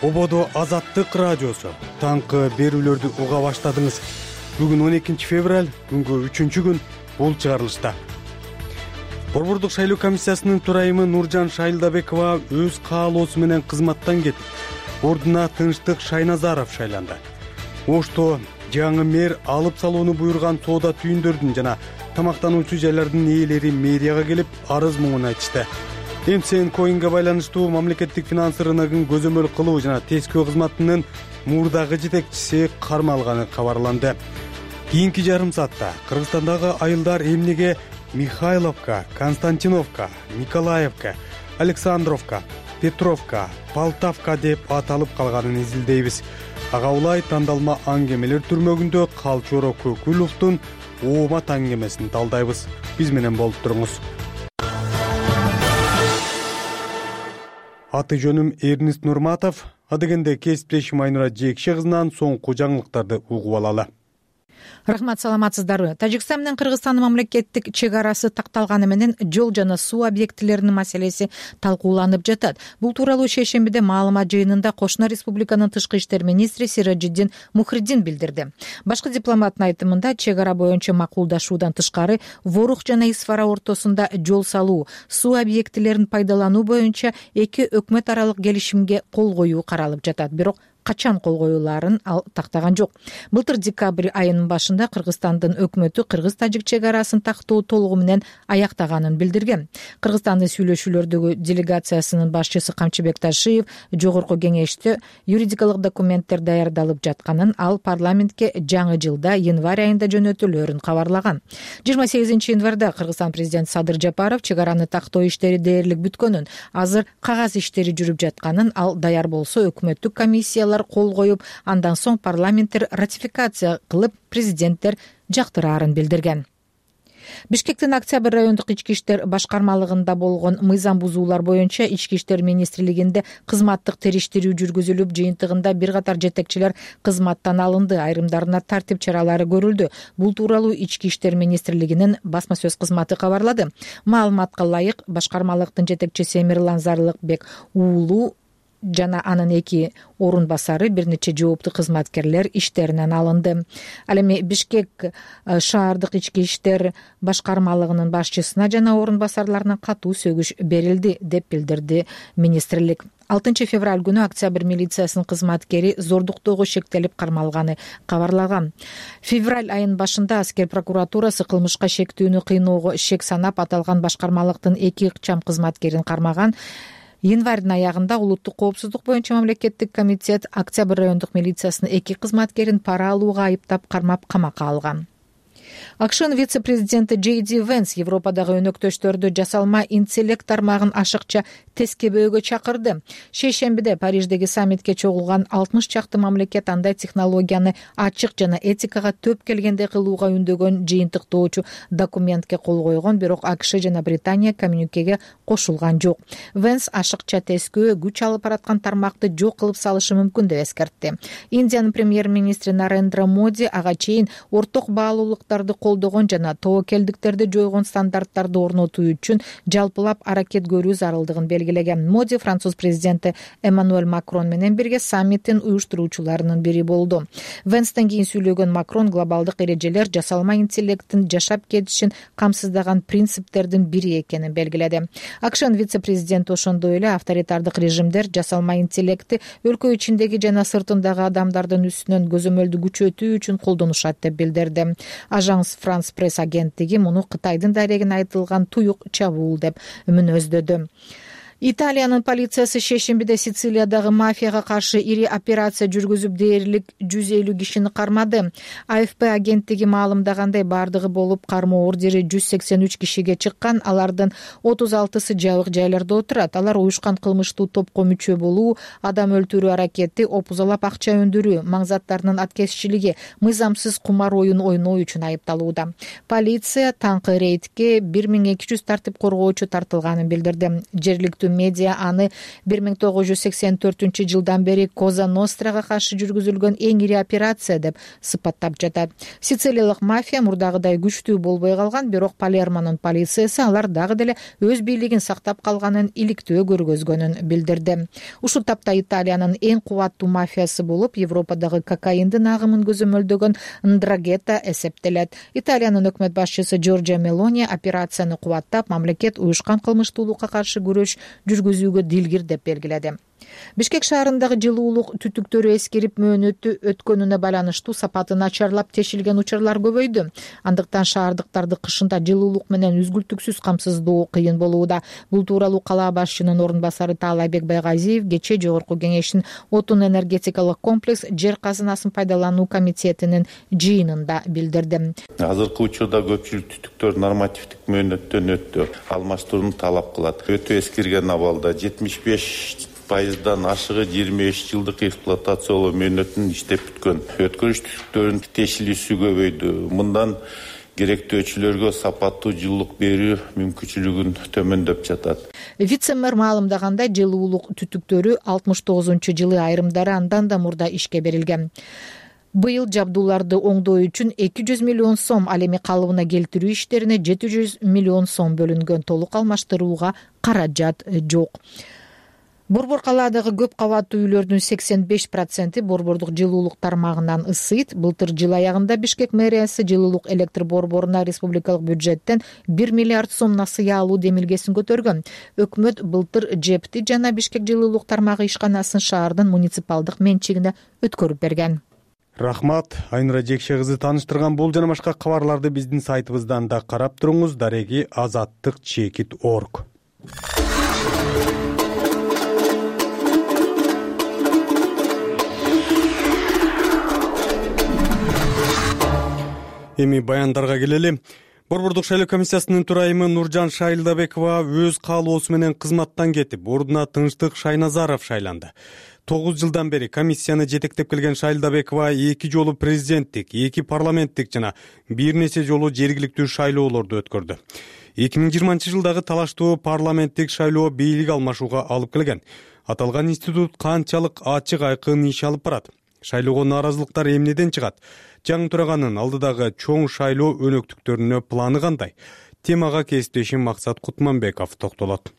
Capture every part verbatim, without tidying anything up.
Ободо Азаттык радиосу. Таңкы берүүлөрдү уга баштадыңыз. Бүгүн он экинчи февраль, күнгө үчүнчү күн. Бул чыгарылышта Борбордук шайлоо комиссиясынын төрайымы Нуржан Шайлдабекова өз каалоосу менен кызматтан кетип, ордуна Тынчтык Шайназаров шайланды. Ошто жаңы мэр алып салууну буйруган соода түйүндөрдүн жана тамактануучу жайлардын ээлери мэрияга келип, арыз муңун айтышты. эм си эн коинге байланыштуу мамлекеттик финанс рыногун көзөмөл кылуу жана тескөө кызматынын мурдагы жетекчиси кармалганы кабарланды. Кийинки жарым саатта Кыргызстандагы айылдар эмнеге Михайловка, Константиновка, Николаевка, Александровка, Петровка, Полтавка деп аталып калганын изилдейбиз. Ага улай тандалма аңгемелер түрмөгүндө Калчоро Көкүловдун оомат аңгемесин талдайбыз. Биз менен болуп туруңуз. Аты жөнүм Эрнист Нурматов. Адегенде кесиптешим Айнура Жекше кызынан соңку жаңылыктарды угуп алалы. Рахмат, саламатсыздарбы? Тажикстан менен Кыргызстандын мамлекеттик чек арасы такталганы менен жол жана суу объектилеринин маселеси талкууланып жатат. Бул тууралуу шейшембиде маалымат жыйынында Кошуна республиканын тышкы иштер министри Сиражиддин Мухриддин билдирди. Башкы дипломаттын айтымында, чек ара боюнча макулдашуудан тышкары Ворух жана Исфара ортосунда жол салуу, суу объектилерин пайдалануу боюнча эки өкмөт аралык келишимге кол коюу каралып жатат. Бирок качан кол коюлаарын ал тактаган жок. Былтыр декабрь айынын башында Кыргызстандын өкмөтү кыргыз-тажик чек арасын тактоо толугу менен аяктаганын билдирген. Кыргызстандын сүйлөшүүлөрдөгү делегациясынын башчысы Камчыбек Ташиев жогорку кеңеште юридикалык документтер даярдалып жатканын, ал парламентке жаңы жылда январь айында жөнөтүлөөрүн кабарлаган. жыйырма сегизинчи январда Кыргызстан президенти Садыр Жапаров чек араны тактоо иштери дээрлик бүткөнүн, азыр кагаз иштери жүрүп жатканын, ал даяр болсо өкмөттүк комиссиялар кол коюп, андан соң парламенттер ратификация кылып, президенттер жактыраарын билдирген. Бишкектин Октябрь райондук ички иштер башкармалыгында болгон мыйзам бузуулар боюнча ички иштер министрлигинде кызматтык териштирүү жүргүзүлүп, жыйынтыгында бир катар жетекчилер кызматтан алынды, айрымдарына тартип чаралары көрүлдү. Бул тууралуу ички иштер министрлигинин басма сөз кызматы кабарлады. Маалыматка ылайык, башкармалыктын жетекчиси Эмирлан Зарлыкбек уулу жана анын эки орун басары, бир нече жооптуу кызматкерлер иштеринен алынды. Ал эми Бишкек шаардык ички иштер башкармалыгынын башчысына жана орун басарларына катуу сөгүш берилди, деп билдирди министрлик. алтынчы февраль күнү Октябрь милициясынын кызматкери зордуктоого шектелип кармалганы кабарлаган. Февраль айынын башында аскер прокуратурасы кылмышка шектүүнү кыйноого шек санап аталган башкармалыктын эки ыкчам кызматкерин кармаган. Январдын аягында улуттук коопсуздук боюнча мамлекеттик комитет Октябрь райондук милициясынын эки кызматкерин пара алууга айыптап кармап камакка алган. АКШнын вице-президенти Джей Ди Венс Европадагы өнөктөштөрдү жасалма интеллект тармагын ашыкча тескебөөгө чакырды. Шейшембиде Париждеги саммитке чогулган алтымыш чакты мамлекет андай технологияны ачык жана этикага төп келгенде кылууга үндөгөн жыйынтыктоочу документке кол койгон, бирок АКШ жана Британия коммюникеге кошулган жок. Венс ашыкча тескөө күч алып бараткан тармакты жок кылып салышы мүмкүн деп эскертти. Индиянын премьер-министри Нарендра Моди ага чейин орток баалуулуктарды колдогон жана тобокелдиктерди жойгон стандарттарды орнотуу үчүн жалпылап аракет көрүү зарылдыгын белгилеген. Моди француз президенти Эммануэль Макрон менен бирге саммиттин уюштуруучуларынын бири болду. Венстен кийин сүйлөгөн Макрон глобалдык эрежелер жасалма интеллекттин жашап кетишин камсыздаган принциптердин бири экенин белгиледи. АКШнын вице-президенти ошондой эле авторитардык режимдер жасалма интеллектти өлкө ичиндеги жана сыртындагы адамдардын үстүнөн көзөмөлдү күчөтүү үчүн колдонушат деп билдирди. Ажанс Франс пресс агенттиги муну Кытайдын дарегине айтылган туюк чабуул деп мүнөздөдү. Италиянын полициясы шейшембиде Сицилиядагы мафияга каршы ири операция жүргүзүп, дээрлик жүз элүү кишини кармады. А Ф П агенттиги маалымдагандай, бардыгы болуп кармоо ордери жүз сексен үч кишиге чыккан. Алардын отуз алтысы жабык жайларда отурат. Алар уюшкан кылмыштуу топко мүчө болуу, адам өлтүрүү аракети, опузалап акча өндүрүү, маңзаттарынын аткезчилиги, мыйзамсыз кумар оюн ойноо үчүн айыпталууда. Полиция таңкы рейдке бир миң эки жүз тартип коргоочу тартылганын билдирди. Жергиликтүү жергиликтүү медиа аны бир миң тогуз жүз сексен төртүнчү жылдан бери Коза Нострага каршы жүргүзүлгөн эң ири операция деп сыпаттап жатат. Сицилиялык мафия мурдагыдай күчтүү болбой калган, бирок Палермонун полициясы алар дагы деле өз бийлигин сактап калганын иликтөө көргөзгөнүн билдирди. Ушул тапта Италиянын эң кубаттуу мафиясы болуп, Европадагы кокаиндин агымын көзөмөлдөгөн Ндрагета эсептелет. Италиянын өкмөт башчысы Джорджио Мелони операцияны кубаттап, мамлекет уюшкан кылмыштуулукка каршы күрөш жүргүзүүгө дилгир деп белгиледи. Бишкек шаарындагы жылуулук түтүктөрү эскирип мөөнөтү өткөнүнө байланыштуу сапаты начарлап тешилген учурлар көбөйдү. Андыктан шаардыктарды кышында жылуулук менен үзгүлтүксүз камсыздоо кыйын болууда. Бул тууралуу кала башчынын орун басары Таалайбек Байгазиев кечээ Жогорку Кеңештин отун энергетикалык комплекс жер казынасын пайдалануу комитетинин жыйынында билдирди. Азыркы учурда көпчүлүк түтүктөр нормативдик мөөнөттөн өттү. Алмаштырууну талап кылат. Өтө эскирген абалда жетимиш беш пайыздан ашыгы жыйырма беш жылдык эксплуатациялоо мөөнөтүн иштеп бүткөн. Өткөрүш түтүктөрүнүн тешилүүсү көбөйдү. Мындан керектөөчүлөргө сапаттуу жылуулук берүү мүмкүнчүлүгүн төмөндөп жатат. Вице-мэр маалымдагандай, жылуулук түтүктөрү алтымыш тогузунчу жылы айрымдары андан да мурда ишке берилген. Быйыл жабдууларды оңдоо үчүн эки жүз миллион сом, ал эми калыбына келтирүү иштерине жети жүз миллион сом бөлүнгөн. Толук алмаштырууга каражат жок. Борбор калаадагы көп кабаттуу үйлөрдүн сексен беш проценти борбордук жылуулук тармагынан ысыйт. Былтыр жыл аягында Бишкек мэриясы жылуулук электр борборуна республикалык бюджеттен бир миллиард сом насыя алуу демилгесин көтөргөн. Өкмөт былтыр Жепти жана Бишкек жылуулук тармагы ишканасын шаардын муниципалдык менчигине өткөрүп берген. Рахмат, Айнура Жекше кызы тааныштырган бул жана башка кабарларды биздин сайтыбыздан да карап туруңуз. Дареги азаттык чекит орг. Эми баяндарга келели. Борбордук шайлоо комиссиясынын төрайымы Нуржан Шайлдабекова өз каалоосу менен кызматтан кетип, ордуна Тынчтык Шайназаров шайланды. тогуз жылдан бери комиссияны жетектеп келген Шайлдабекова эки жолу президенттик, эки парламенттик жана бир нече жолу жергиликтүү шайлоолорду өткөрдү. эки миң жыйырманчы жылдагы талаштуу парламенттик шайлоо бийлик алмашууга алып келген. Аталган институт канчалык ачык айкын иш алып барат? Шайлоого нааразылыктар эмнеден чыгат? Жаңы тураганын алдыдагы чоң шайлоо өнөктүктөрүнө планы кандай? Темага кесиптешим Максат Кутманбеков токтолот.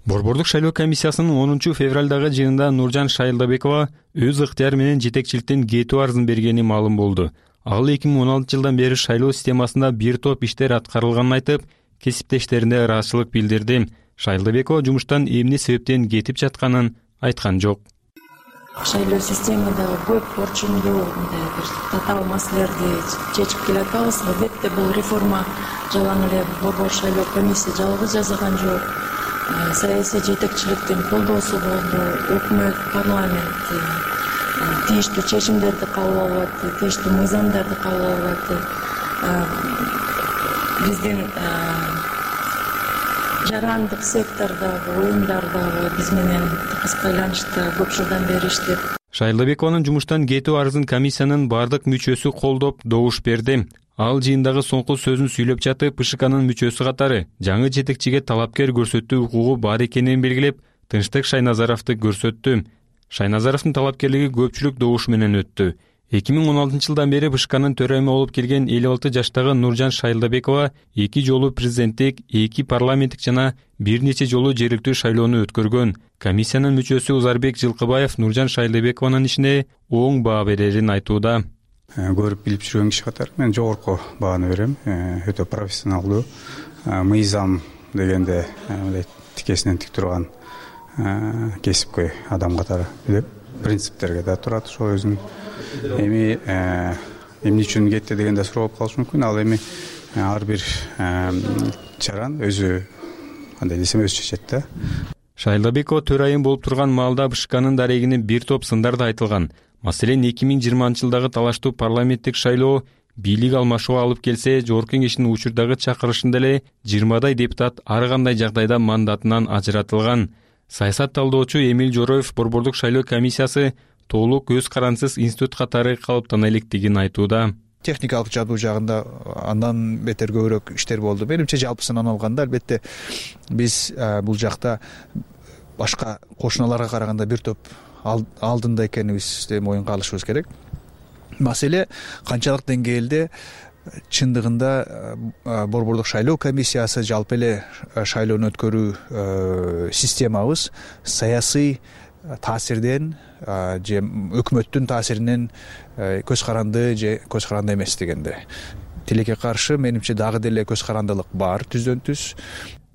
Борбордук шайлоо комиссиясынын онунчу февралдагы жыйынында Нуржан Шайлдабекова өз ыктыяры менен жетекчиликтен кетүү арызын бергени маалым болду. Ал эки миң он алтынчы жылдан бери шайлоо системасында бир топ иштер аткарылганын айтып, кесиптештерине ыраазычылык билдирди. Шайлдабекова жумуштан эмне себептен кетип жатканын айткан жок. Шайлоо системадагы көп орчундуу мындай бир татаал маселелерди чечип келатабыз. Албетте бул реформа жалаң эле борбор шайлоо комиссия жалгыз жасаган жок. Саясий жетекчиликтин колдоосу болду. Өкмөт, парламент тийиштүү чечимдерди кабыл алып атты, тийиштүү мыйзамдарды кабыл алып атты. Биздин жарандык сектордогу уюмдардагы биз менен тыгыз байланышта көп жылдан бери иштеп. Шайлдабекованын жумуштан кетүү арызын комиссиянын бардык мүчөсү колдоп, добуш берди. Ал жыйындагы соңку сөзүн сүйлөп жатып, ПШКнын мүчөсү катары жаңы жетекчиге талапкер көрсөтүү укугу бар экенин белгилеп, Тынчтык Шайназаровду көрсөттү. Шайназаровдун талапкерлиги көпчүлүк добуш менен өттү. эки миң он алтынчы жылдан бери ПШКнын төрайымы болуп келген элүү алты жаштагы Нуржан Шайлдабекова эки жолу президенттик, эки парламенттик жана бир нече жолу жергиликтүү шайлоону өткөргөн. Комиссиянын мүчөсү Узарбек Жылкыбаев Нуржан Шайлдабекованын ишине оң баа берерин айтууда. Көрүп билип жүргөн киши катары мен жогорку бааны берем. Өтө профессионалдуу, мыйзам дегенде мындай тикесинен тик турган кесипкөй адам катары билеп, принциптерге да турат. Ошо өзүнүн эми эмне үчүн кетти дегенде суроо болуп калышы мүмкүн. Ал эми ар бир чаран өзү кандай десем өзү чечет да. Шайлдабекова төрайым болуп турган маалда ПШКнын дарегине бир топ сындар да айтылган. Маселен, эки миң жыйырманчы жылдагы талаштуу парламенттик шайлоо бийлик алмашууга алып келсе, Жогорку Кеңештин учурдагы чакырышында эле жыйырмадай депутат ар кандай жагдайда мандатынан ажыратылган. Саясат талдоочу Эмил Жороев борбордук шайлоо комиссиясы толук өз карансыз институт катары калыптана электигин айтууда. техникалык жабдуу жагында андан бетер көбүрөөк иштер болду. Менимче жалпысынан алганда албетте биз бул жакта башка кошуналарга караганда бир топ алдында экенибизди моюнга алышыбыз керек. Маселе канчалык деңгээлде чындыгында борбордук шайлоо комиссиясы жалпы эле шайлоону өткөрүү системабыз саясий таасирден же өкмөттүн таасиринен көз каранды же көз каранды эмес дегенде. Тилекке каршы менимче дагы деле көз карандылык бар түздөн түз.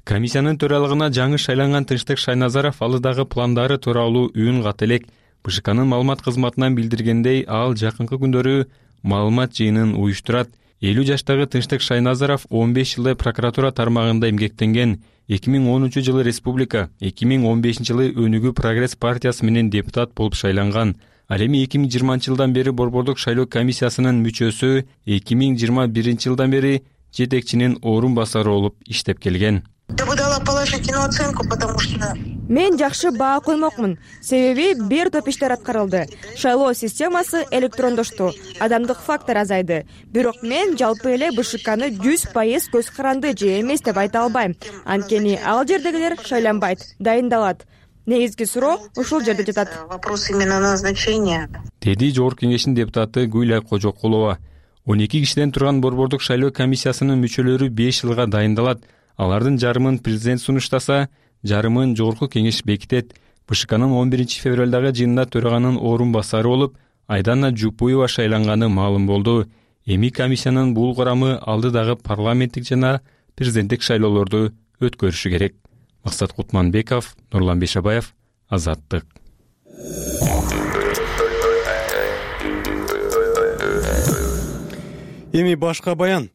Комиссиянын төралыгына жаңы шайланган Тынчтык Шайназаров алы дагы пландары тууралуу үн кат элек. БШКнын маалымат кызматынан билдиргендей, ал жакынкы күндөрү маалымат жыйынын уюштурат. элүү жаштагы Тынчтык Шайназаров он беш жылдай прокуратура тармагында эмгектенген. эки миң онунчу жылы республика, эки миң он бешинчи жылы Өнүгүү Прогресс партиясы менен депутат болуп шайланган. Ал эми эки миң жыйырманчы жылдан бери борбордук шайлоо комиссиясынын мүчөсү, эки миң жыйырма биринчи жылдан бери жетекчинин орун басары болуп иштеп келген. Я бы дала положительную оценку, потому что мен жакшы баа коймокмун. Себеби бир топ иштер аткарылды. Шайлоо системасы электрондошту, адамдык фактор азайды. Бирок мен жалпы эле БШКны жүз пайыз көз каранды же эмес деп айта албайм. Анткени ал жердегилер шайланбайт, дайындалат. Негизги суроо ушул жерде жатат. Вопрос именно назначения. Деди Жогорку Кеңештин депутаты Гүлай Кожокулова. он эки кишиден турган борбордук шайлоо комиссиясынын мүчөлөрү беш жылга дайындалат. Алардын жарымын президент сунуштаса, жарымын Жогорку Кеңеш бекитет. БШКнын он биринчи февралдагы жыйынында төраганын орун басары болуп, Айдана Жупуева шайланганы маалым болду. Эми комиссиянын бул курамы алдыдагы парламенттик жана президенттик шайлоолорду өткөрүшү керек. Максат Кутманбеков, Нурлан Бешабаев, Азаттык. Эми башка баян.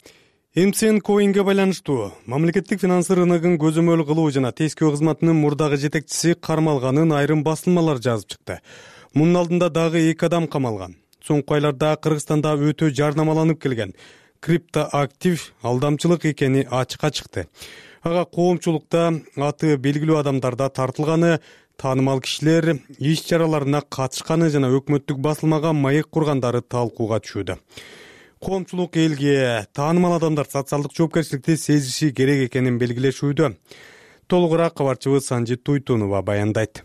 эм си эн коинге байланыштуу мамлекеттик финансы рыногун көзөмөл кылуу жана тескөө кызматынын мурдагы жетекчиси кармалганын айрым басылмалар жазып чыкты. Мунун алдында дагы эки адам камалган. Соңку айларда Кыргызстанда өтө жарнамаланып келген криптоактив алдамчылык экени ачыкка чыкты. Ага коомчулукта аты белгилүү адамдар да тартылганы, таанымал кишилер иш чараларына катышканы жана өкмөттүк басылмага маек кургандары талкууга түшүүдө. Коомчулук элге таанымал адамдар социалдык жоопкерчиликти сезиши керек экенин белгилешүүдө. Толугураак кабарчыбыз Санжит Туйтунова баяндайт.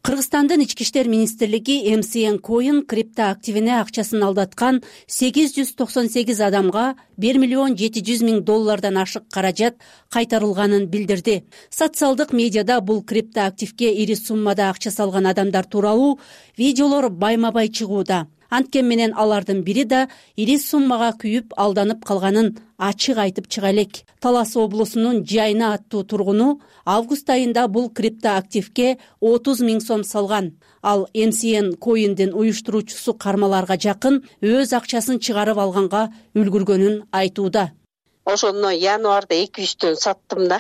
Кыргызстандын ички иштер министрлиги эм си эн коин криптоактивине акчасын алдаткан сегиз жүз токсон сегиз адамга бир миллион жети жүз миң доллардан ашык каражат кайтарылганын билдирди. Социалдык медиада бул криптоактивге ири суммада акча салган адамдар тууралуу видеолор байма-бай чыгууда. Анткен менен алардын бири да ири суммага күйүп алданып калганын ачык айтып чыга элек. Талас облусунун Жайна аттуу тургуну август айында бул криптоактивге отуз миң сом салган. Ал эм си эн коиндин уюштуруучусу кармаларга жакын өз акчасын чыгарып алганга үлгүргөнүн айтууда. Ошону январда эки жүздөн саттым да.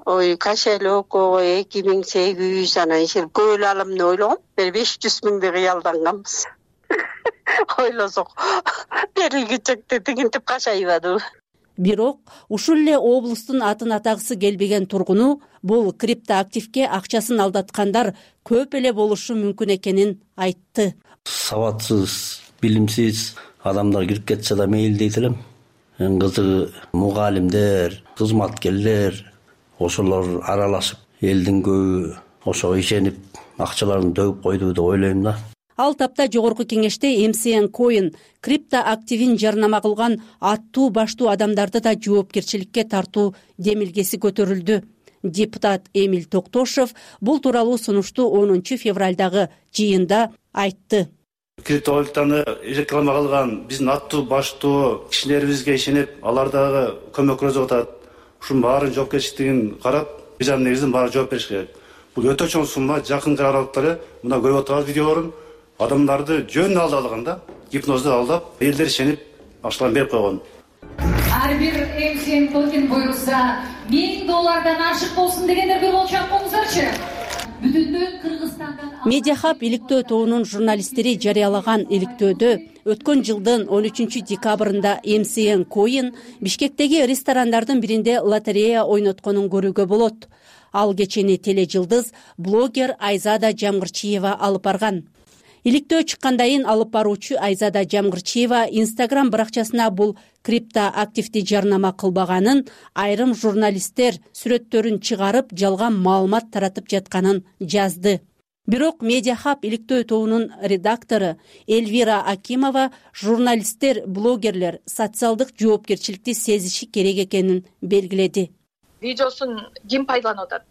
Ой, кошелокко эки миң сегиз жүз анан иши көп алам деп ойлогом. Бир беш жүз миңди кыялданганбыз. Ойлосок берилгичекте тигинтип кашайбады. Бирок ушул эле облустун атын атагысы келбеген тургуну бул криптоактивге акчасын алдаткандар көп эле болушу мүмкүн экенин айтты. Сабатсыз, билимсиз адамдар кирип кетсе да мейли дейт элем. Эң кызыгы мугалимдер, кызматкерлер ошолор аралашып, элдин көбү ошого ишенип акчаларын төгүп койду деп ойлойм да. Ал тапта Жогорку Кеңеште эм си эн коин криптоактивин жарнама кылган аттуу баштуу адамдарды да жоопкерчиликке тартуу демилгеси көтөрүлдү. Депутат Эмиль Токтошов бул тууралуу сунушту онунчу февралдагы жыйында айтты. Криптовалютаны реклама кылган биздин аттуу баштуу кишилерибизге ишенип, алар дагы көмөк көрсөтүп атат. Ушунун баарын жоопкерчилигин карап, бизан негизинен баары жооп бериш керек. Бул өтө чоң сумма, жакын аралыктары мына көрүп атабыз видеолорун. Адамдарды жөн алдалган да, гипнозду алдап, элдер ишенип, акчаларын берип койгон. Ар бир эм си эн токен буйрса, миң доллардан ашык болсун дегендер бир болчу акыңыздарчы. Бүтүндөн Кыргызстандан Медиахаб иликтөө тобунун журналисттери жарыялаган иликтөөдө өткөн жылдын он үчүнчү декабрында эм си эн коин Бишкектеги ресторандардын биринде лотерея ойнотконун көрүүгө болот. Ал кечени тележылдыз блогер Айзада Жамгырчиева алып барган. иликтөө чыккандайын алып баруучу Айзада Жамгырчиева Instagram баракчасына бул криптоактивди жарнама кылбаганын, айрым журналисттер сүрөттөрүн чыгарып жалган маалымат таратып жатканын жазды. Бирок Медиахаб иликтөө тобунун редактору Эльвира Акимова журналисттер, блогерлер социалдык жоопкерчиликти сезиши керек экенин белгиледи. Видеосун ким пайдаланып атат?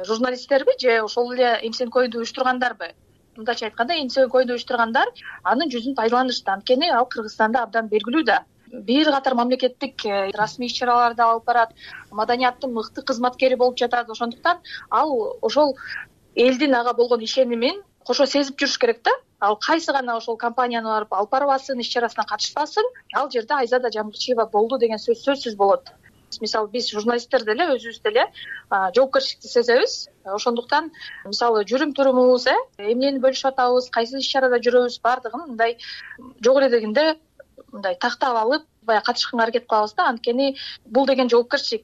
Журналисттерби же ошол эле эмсенкойду уюштургандарбы? Мындайча айтканда, эмсенкойду уюштургандар анын жүзүн пайдаланышты. Анткени ал Кыргызстанда абдан белгилүү да. Бир катар мамлекеттик расмий иш-чараларды алып барат, маданияттын мыкты кызматкери болуп жатат. Ошондуктан ал ошол элдин ага болгон ишенимин кошо сезип жүрүш керек да. Ал кайсы гана ошол компанияны барып алып барбасын, иш-чарасына катышпасын, ал жерде Айзада Жамгырчиева болду деген сөз сөзсүз болот. Мисалы биз журналисттер деле өзүбүз деле жоопкерчиликти сезебиз. Ошондуктан мисалы жүрүм турумубуз, э, эмнени бөлүшүп атабыз, кайсы иш-чарада жүрөбүз, бардыгын мындай жок эле дегенде мындай тактап алып, баягы катышканга аракет кылабыз да. Анткени бул деген жоопкерчилик.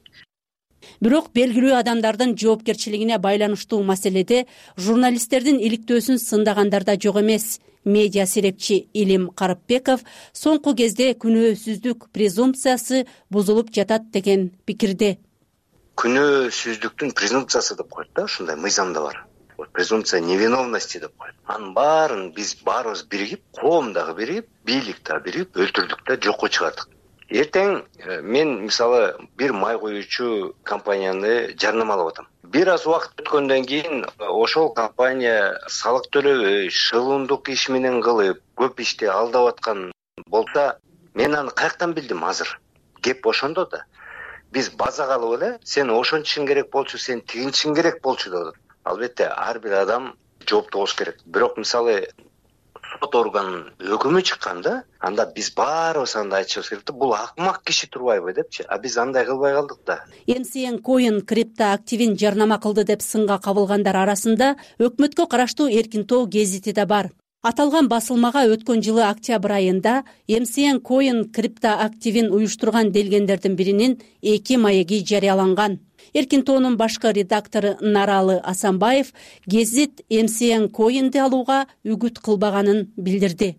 Бирок белгилүү адамдардын жоопкерчилигине байланыштуу маселеде журналисттердин иликтөөсүн сындагандар да жок эмес. Медиа серепчи Илим Карыпбеков соңку кезде күнөөсүздүк презумпциясы бузулуп жатат деген пикирде. Күнөөсүздүктүн презумпциясы деп коет да, ушундай мыйзамда бар. Презумпция невиновности деп коет. Анын баарын биз баарыбыз биригип, коом дагы биригип, бийлик дагы биригип өлтүрдүк да, жокко чыгардык. Эртең мен мисалы бир май коюучу компанияны жарнамалап атам. Бир аз убакыт өткөндөн кийин ошол компания салык төлөбөй, шылымдык иш менен кылып, көп ишти алдап аткан болса, мен аны каяктан билдим азыр? Кеп ошондо да. Биз базага алып эле, сен ошончусуң керек болчу, сен тигинчиң керек болчу деп атат. Албетте, ар бир адам жоопту болуш керек. Бирок мисалы сот органынын өкүмү чыкканда, анда биз баарыбыз анда айтышыбыз керек да, бул акмак киши турбайбы депчи. А биз андай кылбай калдык да. MCNcoin криптоактивин жарнама кылды деп сынга кабылгандар арасында өкмөткө караштуу Эркинтоо гезити да бар. Аталган басылмага өткөн жылы октябрь айында MCNcoin криптоактивин уюштурган делгендердин биринин эки маеги жарыяланган. Эркинтоонун башкы редактору Наралы Асанбаев гезит MCNcoin'ди алууга үгүт кылбаганын билдирди.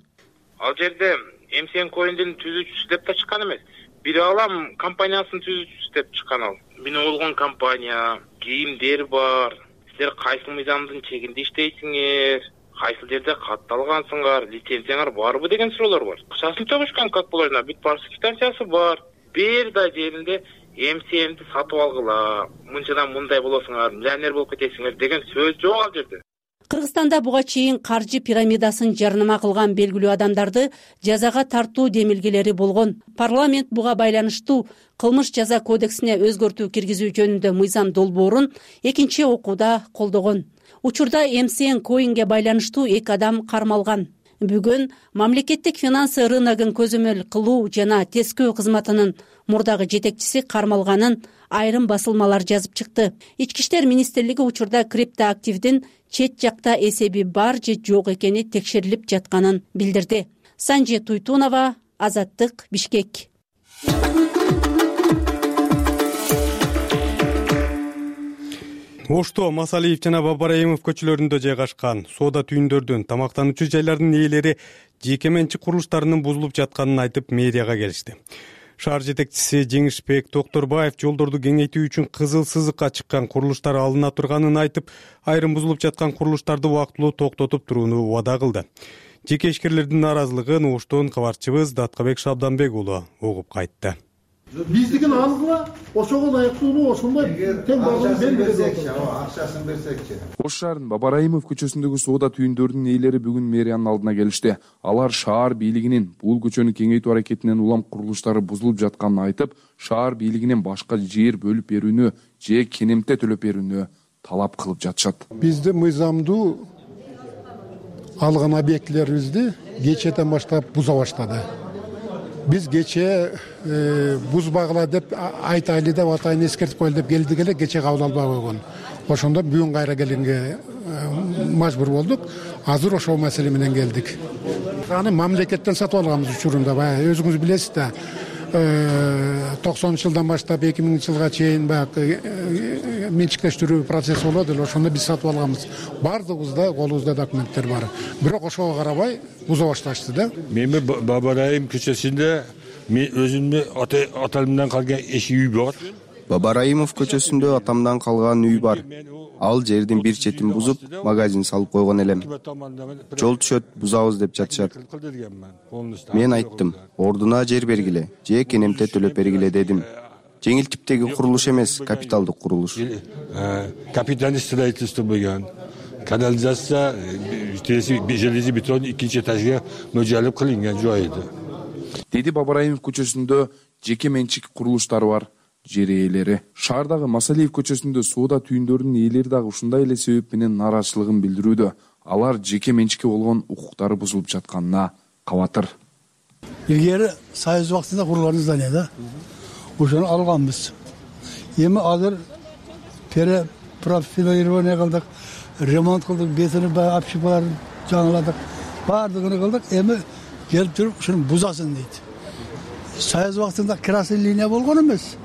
Ал жерде MCNcoin'дин түзүүчүсү деп да чыккан эмес. Бир алам компаниясынын түзүүчүсү деп чыккан ал. Менин болгон компания, кийимдер бар. Силер кайсы мыйзамдын чегинде иштейсиңер? Кайсы жерде катталгансыңар, лицензияңар барбы деген суроолор бар. Акчасын төгүшкөн, как болайына, бүт барсы квитанциясы бар. Бир да жеринде эм си эмди сатып алгыла, мынчадан мындай болосуңар, миллионер болуп кетесиңер деген сөз жок ал жерде. Кыргызстанда буга чейин каржы пирамидасын жарнама кылган белгилүү адамдарды жазага тартуу демилгелери болгон. Парламент буга байланыштуу кылмыш жаза кодексине өзгөртүү киргизүү жөнүндө мыйзам долбоорун экинчи окууда колдогон. Учурда MCNcoin'ге байланыштуу эки адам кармалган. Бүгүн мамлекеттик финансы рыногун көзөмөл кылуу жана тескөө кызматынын мурдагы жетекчиси кармалганын айрым басылмалар жазып чыкты. Ички иштер министрлиги учурда криптоактивдин чет жакта эсеби бар же жок экени текшерилип жатканын билдирди. Санжи Туйтунова, Азаттык, Бишкек. Ошто Масалиев жана Бабараимов көчөлөрүндө жайгашкан соода түйүндөрдүн, тамактануучу жайлардын ээлери жеке менчик курулуштарынын бузулуп жатканын айтып медиага келишти. Шаар жетекчиси Жеңишбек Докторбаев жолдорду кеңейтүү үчүн кызыл сызыкка чыккан курулуштар алына турганын айтып, айрым бузулуп жаткан курулуштарды убактылуу токтотуп турууну убада кылды. Жеке ишкерлердин нааразылыгын Оштон кабарчыбыз Даткабек Шабданбек уулу угуп кайтты. Биздигин алгыла, ошого ылайыктуу ошондой тең болгон берсек, акчасын берсекчи. Ош шаарынын Бабараимов көчөсүндөгү соода түйүндөрдүн ээлери бүгүн мэриянын алдына келишти. Алар шаар бийлигинин бул көчөнү кеңейтүү аракетинен улам курулуштары бузулуп жатканын айтып, шаар бийлигинен башка жер бөлүп берүүнү же кенемте төлөп берүүнү талап кылып жатышат. Бизди мыйзамдуу алган объектилерибизди кечээден баштап буза баштады. Биз кечээ бузбагыла деп айтайлы деп атайын эскертип коелу деп келдик эле, кечээ кабыл албай койгон. Ошондо бүгүн кайра келгенге мажбур болдук. Азыр ошол маселе менен келдик. Аны мамлекеттен сатып алганбыз учурунда, баягы өзүңүз билесиз да. токсонунчу жылдан баштап эки миңинчи жылга чейин баягы менчиктештирүү процесси болот эле, ошондо биз сатып алганбыз. Баардыгыбызда колубузда документтер бар. Бирок ошого карабай буза башташты да. Мен Бабараим көчөсүндө мен өзүмдүн атамдан калган эшик үй бар. Бабараимов көчөсүндө атамдан калган үй бар. Ал жердин бир четин бузуп, магазин салып койгон элем. Жол түшөт, бузабыз деп жатышат. Мен айттым, ордуна жер бергиле, же кенемте төлөп бергиле дедим. Жеңил типтеги курулуш эмес, капиталдык курулуш. Капитальный строительство болгон. Канализация, железный бетон экинчи этажга мөжөлөп кылынган жойду. Деди Бабараимов көчөсүндө жеке менчик курулуштар бар. Жер ээлери. Шаардагы Масалиев көчөсүндө соода түйүндөрүнүн ээлери дагы ушундай эле себеп менен нааразычылыгын билдирүүдө. Алар жеке менчикке болгон укуктары бузулуп жатканына кабатыр. Илгери Союз убактында курулган здание да. Ошону алганбыз. Эми азыр перепрофилирование кылдык, ремонт кылдык, бетону общипаларын жаңыладык, баардыгын кылдык. Эми келип туруп ушуну бузасын дейт. Союз убактында красный линия болгон эмес.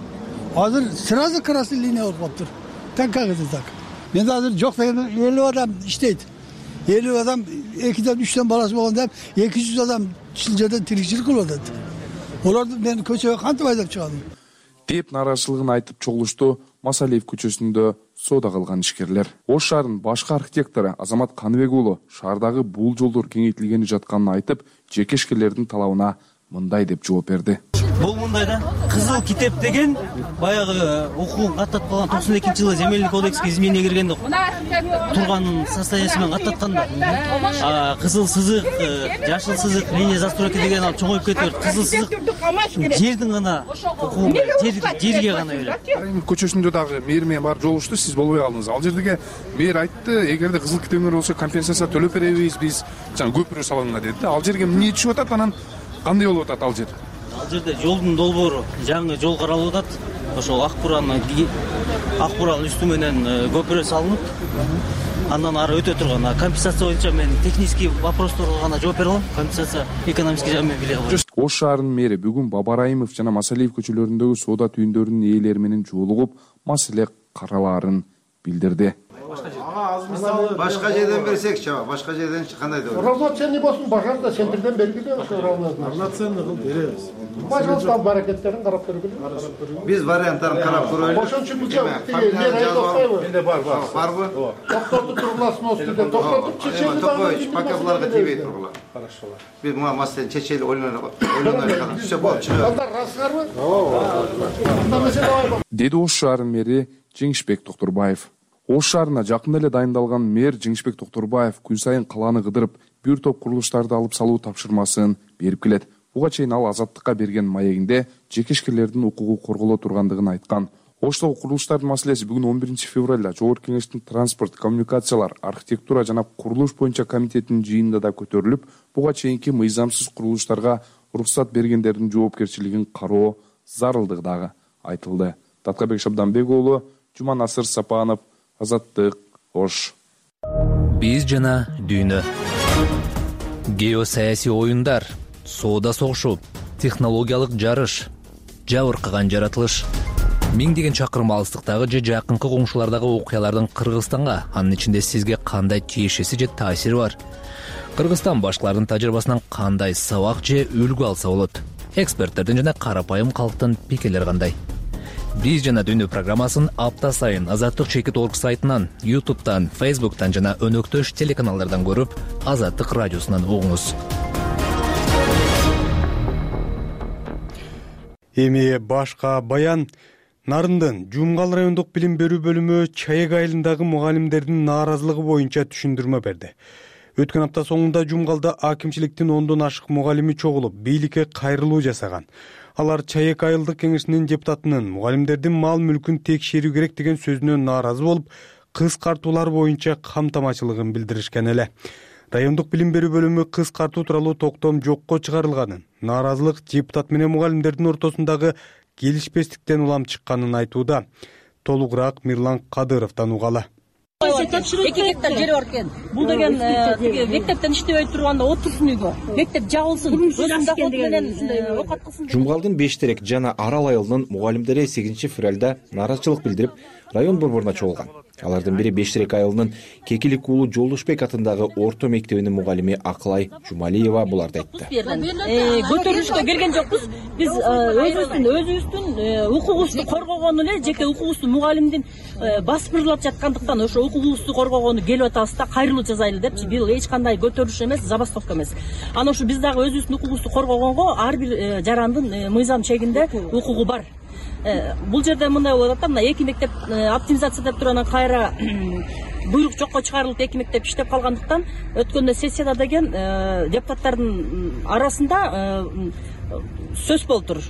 Азыр сразу красный линия болуп калыптыр. Так как это так? Мен азыр жок деген элүү адам иштейт. элүү адам экиден үчтөн баласы болгондо эки жүз адам чыл жерден тиричилик кылып атат. Оларды мен көчөгө кантип айдап чыгадым? Деп нааразычылыгын айтып чогулушту Масалиев көчөсүндө соода кылган ишкерлер. Ош шаарынын башкы архитектору Азамат Каныбек уулу шаардагы бул жолдор кеңейтилгени жатканын айтып, жеке ишкерлердин талабына мындай деп жооп берди. Бул мындай да, кызыл китеп деген баягы укугун каттатып калган токсон экинчи жылы земельный кодекске изменение киргенде турган состояниясы менен каттаткан да. Кызыл сызык, жашыл сызык, линия застройки деген ал чоңоюп кетип, кызыл сызык жердин гана укугу, жерге гана эле. Көчөсүндө дагы мэр менен барып жолугушту, сиз болбой калдыңыз. Ал жердеге мэр айтты, эгерде кызыл китебиңер болсо компенсация төлөп беребиз, биз жана көпүрө салыңдар деди. Ал жерге эмне түшүп атат, анан кандай болуп атат ал жер? Ал жерде жолдун долбоору, жаңы жол каралып атат. Ошол ак буранын ак буранын үстү менен көпүрө салынып, андан ары өтө турган. Компенсация боюнча мен технический вопросторго гана жооп бере алам. Компенсация экономический жагы менен биле албайм. Ош шаарынын мэри бүгүн Бабараимов жана Масалиев көчөлөрүндөгү соода түйүндөрүнүн ээлери менен жолугуп, маселе каралаарын билдирди. Башка жерден берсекчи, башка жерден кандай да. Равноценный болсун, пожалуйста, центрден бергиле, ошо равноценный. Равноценный кылып беребиз. Пожалуйста, баракеттерин карап бергиле. Биз варианттарын карап көрөлү. Ошон үчүн бизге менде бар, бар. Барбы? Токтотуп тургуласын устунда, токтотуп чечели. Токтойбуз, пока буларга тийбей тургула. Хорошо. Биз мына маселени чечели ойлонолу, ойлонолу калам. Түшө болуп чыгат. Андар расыңарбы? Ооба. Деди Ош шаарынын мэри Жеңишбек Токторбаев. Ош шаарына жакында эле дайындалган мэр Жеңишбек Токторбаев күн сайын калааны кыдырып, бир топ курулуштарды алып салуу тапшырмасын берип келет. Буга чейин ал Азаттыкка берген маегинде жеке ишкерлердин укугу корголо тургандыгын айткан. Оштогу курулуштардын маселеси бүгүн он биринчи февралда Жогорку Кеңештин транспорт, коммуникациялар, архитектура жана курулуш боюнча комитетинин жыйынында да көтөрүлүп, буга чейинки мыйзамсыз курулуштарга уруксат бергендердин жоопкерчилигин кароо зарылдыгы дагы айтылды. Таткабек Шабданбек уулу, Жуманасыр Сапанов, Азаттык, Ош. Биз жана дүйнө. Геосаясий оюндар, соода согушу, технологиялык жарыш, жабыркаган жаратылыш. Миңдеген чакырым алыстыктагы же жакынкы коңшулардагы окуялардын Кыргызстанга, анын ичинде сизге кандай тиешеси же таасири бар? Кыргызстан башкалардын тажрыйбасынан кандай сабак же үлгү алса болот? Эксперттердин жана карапайым калктын пикирлери кандай? Биз жана дүйнө программасын апта сайын Азаттык чекит точка орг сайтынан, ютубтан, фейсбуктан жана өнөктөш телеканалдардан көрүп, Азаттык радиосунан угуңуз. Эми башка баян. Нарындын Жумгал райондук билим берүү бөлүмү Чаек айылындагы мугалимдердин нааразылыгы боюнча түшүндүрмө берди. Өткөн апта соңунда Жумгалда акимчиликтин ондон ашык мугалими чогулуп, бийликке кайрылуу жасаган. Алар Чаек айылдык кеңешинин депутатынын мугалимдердин мал мүлкүн текшерүү керек деген сөзүнө нааразы болуп, кыскартуулар боюнча камтамачылыгын билдиришкен эле. Райондук билим берүү бөлүмү кыскартуу тууралуу токтом жокко чыгарылганын, нааразылык депутат менен мугалимдердин ортосундагы келишпестиктен улам чыкканын айтууда. Толугураак Мирлан Кадыровдон угалы. эки гектар жери бар экен. Бул деген тиги мектептен иштебей турганда отурсун үйгө. Мектеп жабылсын, өзүнүн доход менен ушундай оокат кылсын. Жумгалдын Бештерек жана Арал айылынын мугалимдери сегизинчи февралда нааразычылык билдирип, район борборуна чогулган. Алардын бири Бештерек айылынын Кекилик уулу Жолдошбек атындагы орто мектебинин мугалими Акылай Жумалиева буларды айтты. Көтөрүлүшкө келген жокпуз. Биз өзүбүздүн өзүбүздүн укугубузду коргогону эле жеке укугубуздун мугалимдин басып жаткандыктан ошо укугубузду коргогону келип атабыз да, кайрылуу жасайлы депчи. Бул эч кандай көтөрүлүш эмес, забастовка эмес. Анан ошо биз дагы өзүбүздүн укугубузду коргогонго ар бир жарандын мыйзам чегинде укугу бар. Бул жерде мындай болуп атат да, мына эки мектеп оптимизация деп туруп кайра буйрук жокко чыгарылып эки мектеп иштеп калгандыктан өткөндө сессияда деген депутаттардын арасында сөз болуптур.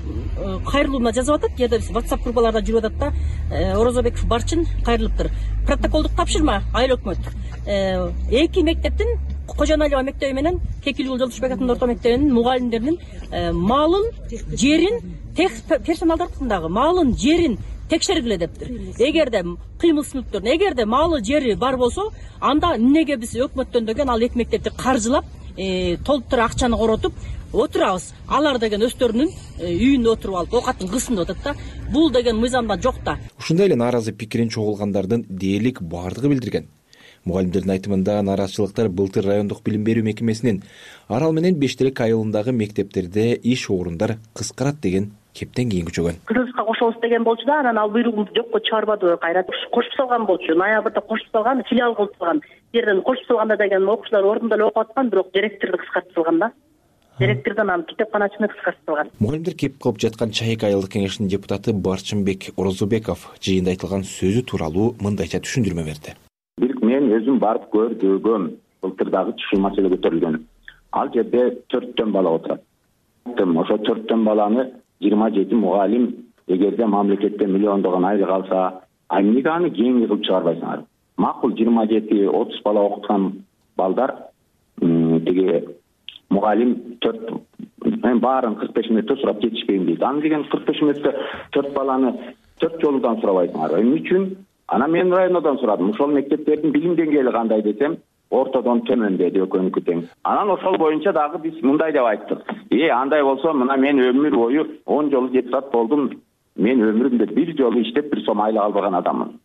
Кайрылууна жазып атат, же да WhatsApp группаларда жүрүп атат да, Орозобеков Барчын кайрылыптыр. Протоколдук тапшырма айыл өкмөт. Эки мектептин Кожоналиева мектеби менен Кекилик уулу Жолдошбек атындагы орто мектебинин мугалимдеринин малын, жерин, персоналдардагы малын, жерин текшергиле дептир. Эгерде кыймыл мүлктөрүн, эгерде малы, жери бар болсо, анда эмнеге биз өкмөттөн деген ал эки мектепти каржылап, толуктура акчаны коротуп отурабыз. Алар деген өздөрүнүн үйүндө отуруп алып, оокатын кылсын деп атат да. Бул деген мыйзамда жок да. Ушундай эле нааразы пикирин чогулгандардын дээрлик бардыгы билдирген. Мугалимдердин айтымында нааразычылыктар былтыр райондук билим берүү мекемесинин Арал менен Бештерек айылындагы мектептерде иш орундар кыскарат деген кептен кийин күчөгөн. Кыргызга кошобуз деген болчу да, анан ал буйругун жокко чыгарбады, кайра кошуп салган болчу. Ноябрда кошуп салган, филиал кылып салган. Жерден кошуп салганда деген окуучулар ордунда эле окуп аткан, бирок директорду кыскартып салган да. Директордон анан китепканачыны кыскартып салган. Мугалимдер кеп кылып жаткан Чайык айылдык кеңешинин депутаты Барчынбек Орозобеков жыйында айтылган сөзү тууралуу мындайча түшүндүрмө берди. Мен өзүм барып көрдүгөм, былтырдагы ушул маселе көтөрүлгөн. Ал жерде төрттөн бала отурат. Ошо төрттөн баланы жыйырма жети мугалим эгерде мамлекеттен миллиондогон айлык алса, а эмнеге аны кийинки кылып чыгарбайсыңар? Макул жыйырма жети отуз бала окуткан балдар тиги мугалим төрт мен баарын кырк беш мүнөттө сурап жетишпейм дейт. Аны деген кырк беш мүнөттө төрт баланы төрт жолудан сурабайсыңар. Эмне үчүн? Анан мен райондон сурадым. Ошол мектептердин билим деңгээли кандай десем, ортодон төмөн деди, экөөнүкү тең. Анан ошол боюнча дагы биз мындай деп айттык. Э, андай болсо, мына мен өмүр бою он жолу депутат болдум. Мен өмүрүмдө бир жолу иштеп бир сом айлык албаган адаммын.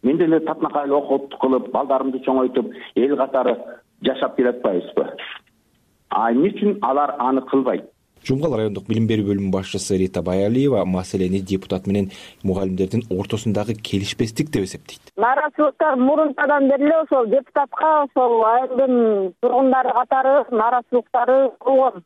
Мен деле татнакайлы окут кылып, балдарымды чоңойтуп, эл катары жашап келатпайбызбы? А эмне үчүн алар аны кылбайт? Жумгал райондук билим берүү бөлүмүнүн башчысы Рита Баялиева маселени депутат менен мугалимдердин ортосундагы келишпестик деп эсептейт. Нааразычылыктар мурунтадан бери эле ошол депутатка, ошол айылдын тургундары катары нааразычылыктары болгон.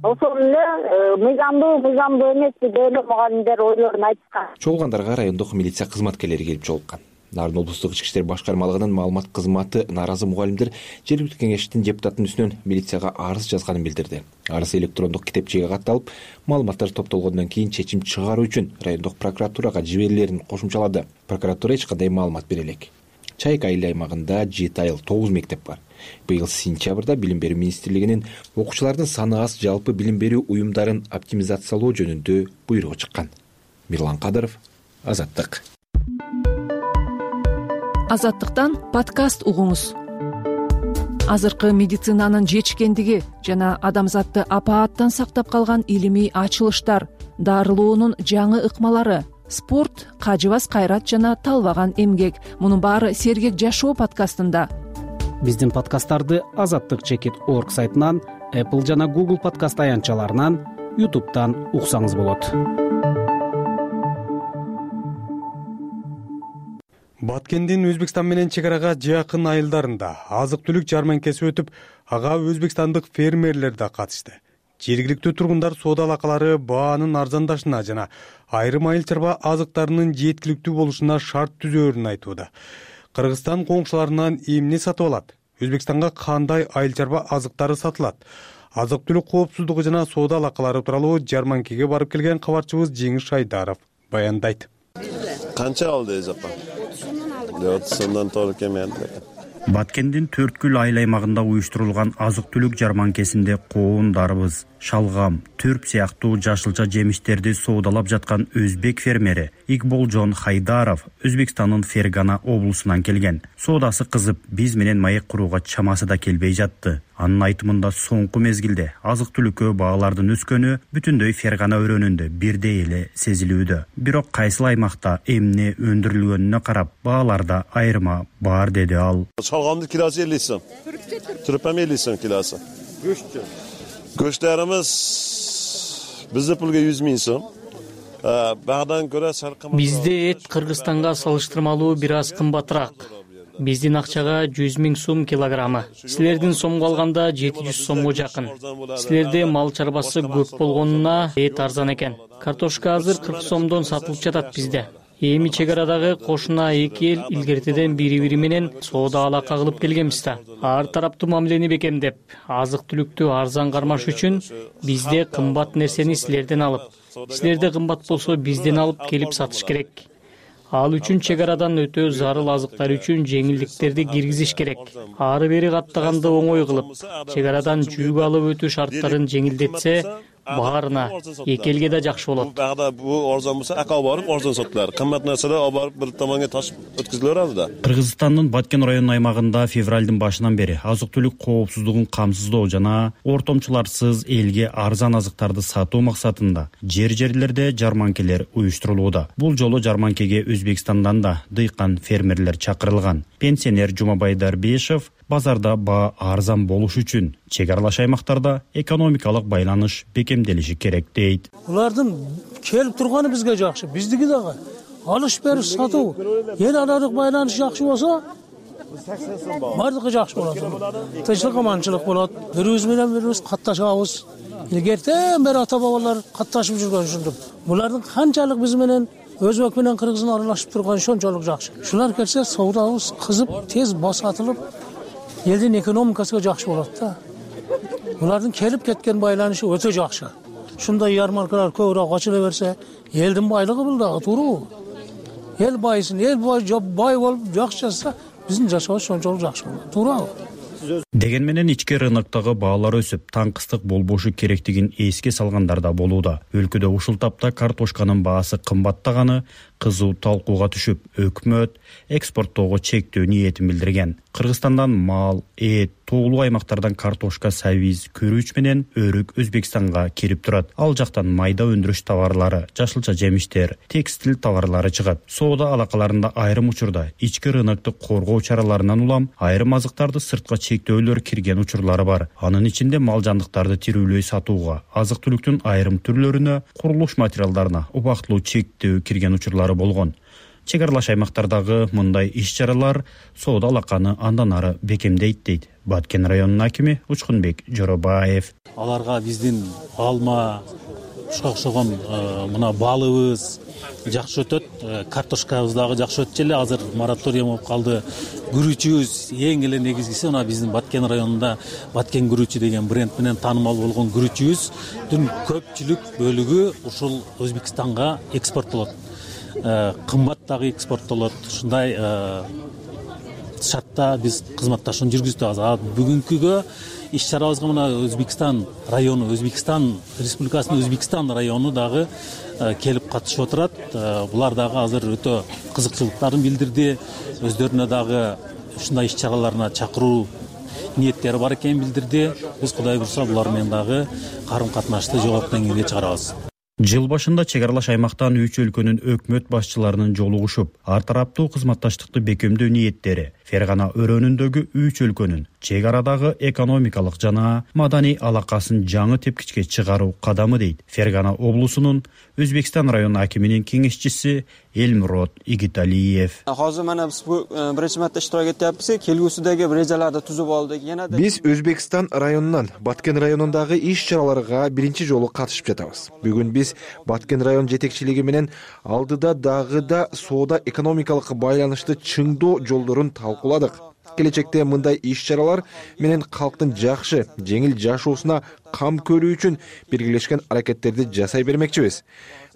Ошол эле мыйзамдуу, мыйзамдуу эмес деп эле мугалимдер ойлорун айтышкан. Чогулгандарга райондук милиция кызматкерлери келип жолуккан. Нарын облустук ички иштер башкармалыгынын маалымат кызматы нааразы мугалимдер жергиликтүү кеңештин депутаттын үстүнөн милицияга арыз жазганын билдирди. Арыз электрондук китепчеге катталып, маалыматтар топтолгондон кийин чечим чыгаруу үчүн райондук прокуратурага жиберилерин кошумчалады. Прокуратура эч кандай маалымат бере элек. Чайык айыл аймагында жети айыл тогуз мектеп бар. Быйыл сентябрда билим берүү министрлигинин окуучулардын саны аз жалпы билим берүү уюмдарын оптимизациялоо жөнүндө буйругу чыккан. Мирлан Кадыров, Азаттык. Азаттыктан подкаст угуңуз. Азыркы медицинанын жетишкендиги жана адамзатты апааттан сактап калган илимий ачылыштар, дарылоонун жаңы ыкмалары, спорт, кажыбас кайрат жана талбаган эмгек. Мунун баары Сергек жашоо подкастында. Биздин подкасттарды азаттык чекит орг сайтынан, Apple жана Google подкаст аянтчаларынан, YouTube'дан уксаңыз болот. Баткендин Өзбекстан менен чек арага жакын айылдарында азык-түлүк жарманкеси өтүп, ага өзбекстандык фермерлер да катышты. Жергиликтүү тургундар соода алакалары баанын арзандашына жана айрым айыл чарба азыктарынын жеткиликтүү болушуна шарт түзөөрүн айтууда. Кыргызстан коңшуларынан эмне сатып алат? Өзбекстанга кандай айыл чарба азыктары сатылат? Азык-түлүк коопсуздугу жана соода алакалары тууралуу жарманкеге барып келген кабарчыбыз Жеңиш Айдаров баяндайт. Канча алды эжапа? отузундан туура кемен. Баткендин Төрткүл айыл аймагында уюштурулган азык-түлүк жарманкесинде коондарбыз. шалгам, түрп сыяктуу жашылча жемиштерди соодалап жаткан өзбек фермери Игболжон Хайдаров Өзбекстандын Фергана облусунан келген. Соодасы кызып, биз менен маек курууга чамасы да келбей жатты. Анын айтымында соңку мезгилде азык-түлүккө баалардын өскөнү бүтүндөй Фергана өрөөнүндө бирдей эле сезилүүдө. Бирок кайсыл аймакта эмне өндүрүлгөнүнө карап бааларда айырма бар, деди ал. Шалгамдын килосы элүү сом. Түрпөм элүү сом килосы. Go'shtchi. Go'shtlarimiz bizde pulga жүз миң сом. Багдан көрө саркым. Бизде эт Кыргызстанга салыштырмалуу бир аз кымбатыраак. Биздин акчага жүз миң сом килограммы. Силердин сомго алганда жети жүз сомго жакын. Силерде мал чарбасы көп болгонуна эт арзан экен. Картошка азыр кырк сомдон сатылып жатат бизде. Эми чек арадагы кошуна эки эл илгертеден бири-бири менен соода алака кылып келгенбиз да. Ар тараптуу мамилени бекемдеп, азык-түлүктү арзан кармаш үчүн бизде кымбат нерсени силерден алып, силерде кымбат болсо бизден алып келип сатыш керек. Ал үчүн чек арадан өтө зарыл азыктар үчүн жеңилдиктерди киргизиш керек. Ары бери каттаганды оңой кылып, чек арадан жүк алып өтүү шарттарын жеңилдетсе, баарына эки элге да жакшы болот. Багда бу арзан болсо, акал барып арзан сатылар. Кымбат нерселер алып барып бир томонго ташып өткөзүлөр алды да. Кыргызстандын Баткен районунун аймагында февралдын башынан бери азык-түлүк коопсуздугун камсыздоо жана ортомчуларсыз элге арзан азыктарды сатуу максатында жер-жерлерде жарманкелер уюштурулууда. Бул жолу жарманкеге Өзбекстандан да дыйкан фермерлер чакырылган. Пенсионер Жумабай Дарбешев базарда баа арзан болуш үчүн чек аралаш аймактарда экономикалык байланыш бекемделиши керек дейт. Булардын келип турганы бизге жакшы, биздики дагы алыш бериш сатуу, эл аралык байланыш жакшы болсо, бардыгы жакшы болот. Тынчтык, аманчылык болот. Бирибиз менен бирибиз катташабыз. Илгертен бери ата-бабалар катташып жүргөн ушунтип. Булардын канчалык биз менен өзбек менен кыргыздын аралашып турганы ошончолук жакшы. Шулар келсе, соодабыз кызып, тез басатылып, элдин экономикасына жакшы болот да. Булардын келип кеткен байланышы өтө жакшы. Шундай ярмаркалар көбүрөөк ачыла берсе, элдин байлыгы бул дагы тууру. Эл байысын, эл бай болуп жакшы жашаса, биздин жашообуз ошончолук жакшы болот. Туурабы? Деген менен ички рыноктогу баалар өсүп, таңкыстык болбошу керектигин эске салгандар да болууда. Өлкөдө ушул тапта картошканын баасы кымбаттаганы кызуу талкууга түшүп, өкмөт экспорттоого чектөө ниетин билдирген. Кыргызстандан мал, эт, тоолуу аймактардан картошка, сабиз, күрүч менен өрүк Өзбекстанга кирип турат. Ал жактан майда өндүрүш товарлары, жашылча жемиштер, текстил товарлары чыгат. Соода алакаларында айрым учурда ички рынокты коргоо чараларынан улам айрым азыктарды сыртка чектөөлөр кирген учурлары бар. Анын ичинде мал жандыктарды тирүүлөй сатууга, азык-түлүктүн айрым түрлөрүнө, курулуш материалдарына убактылуу чектөө кирген учурлары болгон. Чек аралаш аймактардагы мындай иш-чаралар соода алаканы андан ары бекемдейт дейт Баткен районунун акими Учкунбек Жоробаев. Аларга биздин алма, ушуга окшогон мына балыбыз жакшы өтөт, картошкабыз дагы жакшы өтүп эле. Азыр мораторий болуп калды. Күрүчүбүз эң эле негизгиси мына биздин Баткен районунда Баткен күрүчү деген бренд менен таанымал болгон күрүчүбүздүн көпчүлүк бөлүгү ушул Өзбекстанга экспорттолот. Кымбат дагы экспорттолот. Ушундай шартта биз кызматташууну жүргүздүк. Азыр бүгүнкүгө иш-чарабызга мына Өзбекстан району, Өзбекстан Республикасынын Өзбекстан району дагы келип катышып отурат. Булар дагы азыр өтө кызыкчылыктарын билдирди. Өздөрүнө дагы ушундай иш-чараларына чакыруу ниеттери бар экенин билдирди. Биз Кудай буйрса булар менен дагы карым-катнашты жогорку деңгээлге чыгарабыз. Жыл башында чек аралаш аймактан үч өлкөнүн өкмөт башчыларынын жолугушуп, ар тараптуу кызматташтыкты бекемдөө ниеттери Фергана өрөөнүндөгү үч өлкөнүн чек арадагы экономикалык жана маданий алакасын жаңы тепкичке чыгаруу кадамы дейт Фергана облусунун Өзбекстан району акиминин кеңешчиси Элмурод Игиталиев. Hozir mana biz bu birinchi marta ishtirok etyapmiz. Kelgusidagi rejalarni tuzib oldik. Yanada Биз Өзбекстан районунан Баткен районундагы иш-чараларга биринчи жолу катышып жатабыз. Бүгүн биз Баткен район жетекчилиги менен алдыда дагы да соода экономикалык байланышты чыңдоо жолдорун талкууладык. Келечекте мындай иш-чаралар менен калктын жакшы, жеңил жашоосуна кам көрүү үчүн биргелешкен аракеттерди жасай бермекчибиз.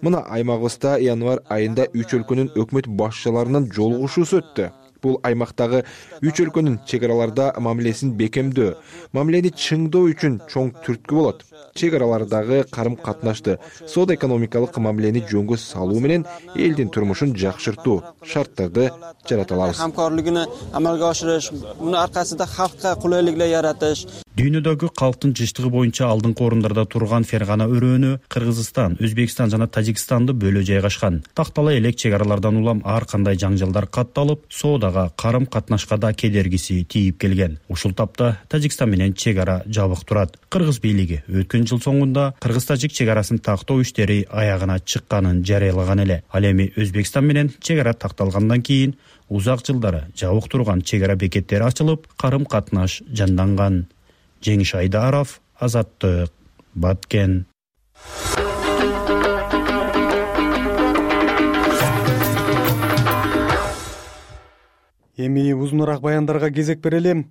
Мына аймагыбызда январь айында үч өлкөнүн өкмөт башчыларынын жолугушуусу өттү. бул аймактагы үч өлкөнүн чек араларда мамилесин бекемдөө, мамилени чыңдоо үчүн чоң түрткү болот. Чек аралардагы карым катнашты, соода экономикалык мамилени жөнгө салуу менен элдин турмушун жакшыртуу шарттарды жарата алабыз. Hamkorligini amalga oshirish, buni orqasida xalqqa qulayliklar yaratish. Дүйнөдөгү калктын жыштыгы боюнча алдыңкы орундарда турган Фергана өрөөнү Кыргызстан, Өзбекстан жана Тажикстанды бөлө жайгашкан. Тактала элек чек аралардан улам ар кандай жаңжалдар катталып, соодага, карым катнашка да кедергиси тийип келген. Ушул тапта Тажикстан менен чек ара жабык турат. Кыргыз бийлиги өткөн жыл соңунда Кыргыз-Тажик чек арасын тактоо иштери аягына чыкканын жарыялаган эле. Ал эми Өзбекстан менен чек ара такталгандан кийин узак жылдары жабык турган чек ара бекеттери ачылып, карым катнаш жанданган. Жеңиш Айдаров, Азаттык, Баткен. Эми узунураак баяндарга кезек берели.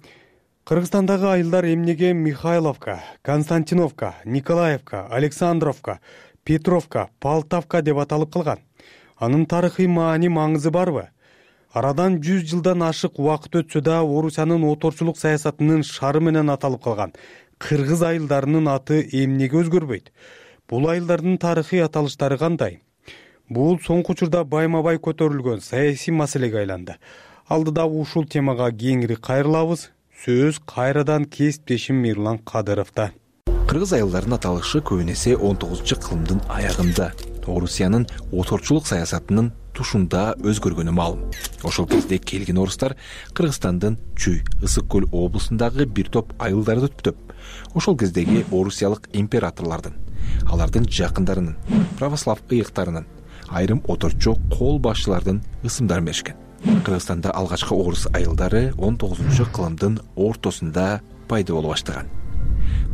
Кыргызстандагы айылдар эмнеге Михайловка, Константиновка, Николаевка, Александровка, Петровка, Полтавка деп аталып калган? Анын тарыхый маани маңызы барбы? Арадан жүз жылдан ашык убакыт өтсө да Орусиянын оторчулук саясатынын шары менен аталып калган кыргыз айылдарынын аты эмнеге өзгөрбөйт? Бул айылдардын тарыхый аталыштары кандай? Бул соңку учурда байма-бай көтөрүлгөн саясий маселеге айланды. Алдыда ушул темага кеңири кайрылабыз. Сөз кайрадан кесиптешим Мирлан Кадыровдо. Кыргыз айылдарынын аталышы көбүн эсе он тогузунчу кылымдын аягында Орусиянын оторчулук саясатынын тушунда өзгөргөнү маалым. Ошол кезде келген орустар Кыргызстандын Чүй, Ысык көл облусундагы бир топ айылдарды түптөп, ошол кездеги орусиялык императорлордун, алардын жакындарынын, православ ыйыктарынын, айрым оторчу кол башчылардын ысымдарын беришкен. Кыргызстанда алгачкы орус айылдары он тогузунчу кылымдын ортосунда пайда боло баштаган.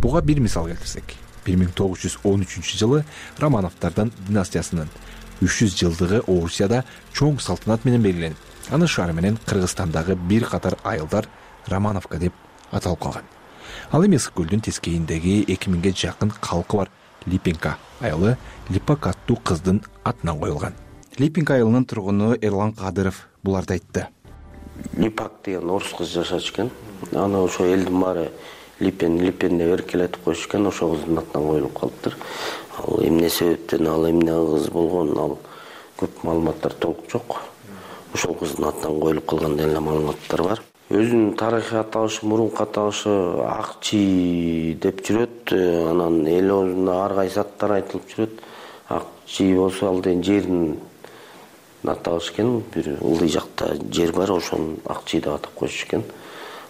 Буга бир мисал келтирсек, бир миң тогуз жүз он үчүнчү жылы Романовдордун династиясынын үч жүз жылдыгы Орусияда чоң салтанат менен белгиленип, анын шаары менен Кыргызстандагы бир катар айылдар Романовка деп аталып калган. Ал эми Ысык көлдүн тескейиндеги эки миңге жакын калкы бар Липенка айылы Липак аттуу кыздын атынан коюлган. Липенка айылынын тургуну Эрлан Кадыров буларды айтты. Липак деген орус кыз жашачу экен. Аны ошо элдин баары Липен, Липен деп эркелетип коюшкан, ошол кыздын атынан коюлуп калыптыр. Ал эмне себептен, ал эмне кыз болгон, ал көп маалыматтар толук жок. Ошол кыздын атынан коюлуп калган деген эле маалыматтар бар. Өзүнүн тарыхый аталышы, мурунку аталышы Акчи деп жүрөт. Анан эл оозунда ар кайсы аттар айтылып жүрөт. Акчи болсо ал деген жердин аталышы экен. Бир ылдый жакта жер бар, ошону Акчи деп атап коюшу экен.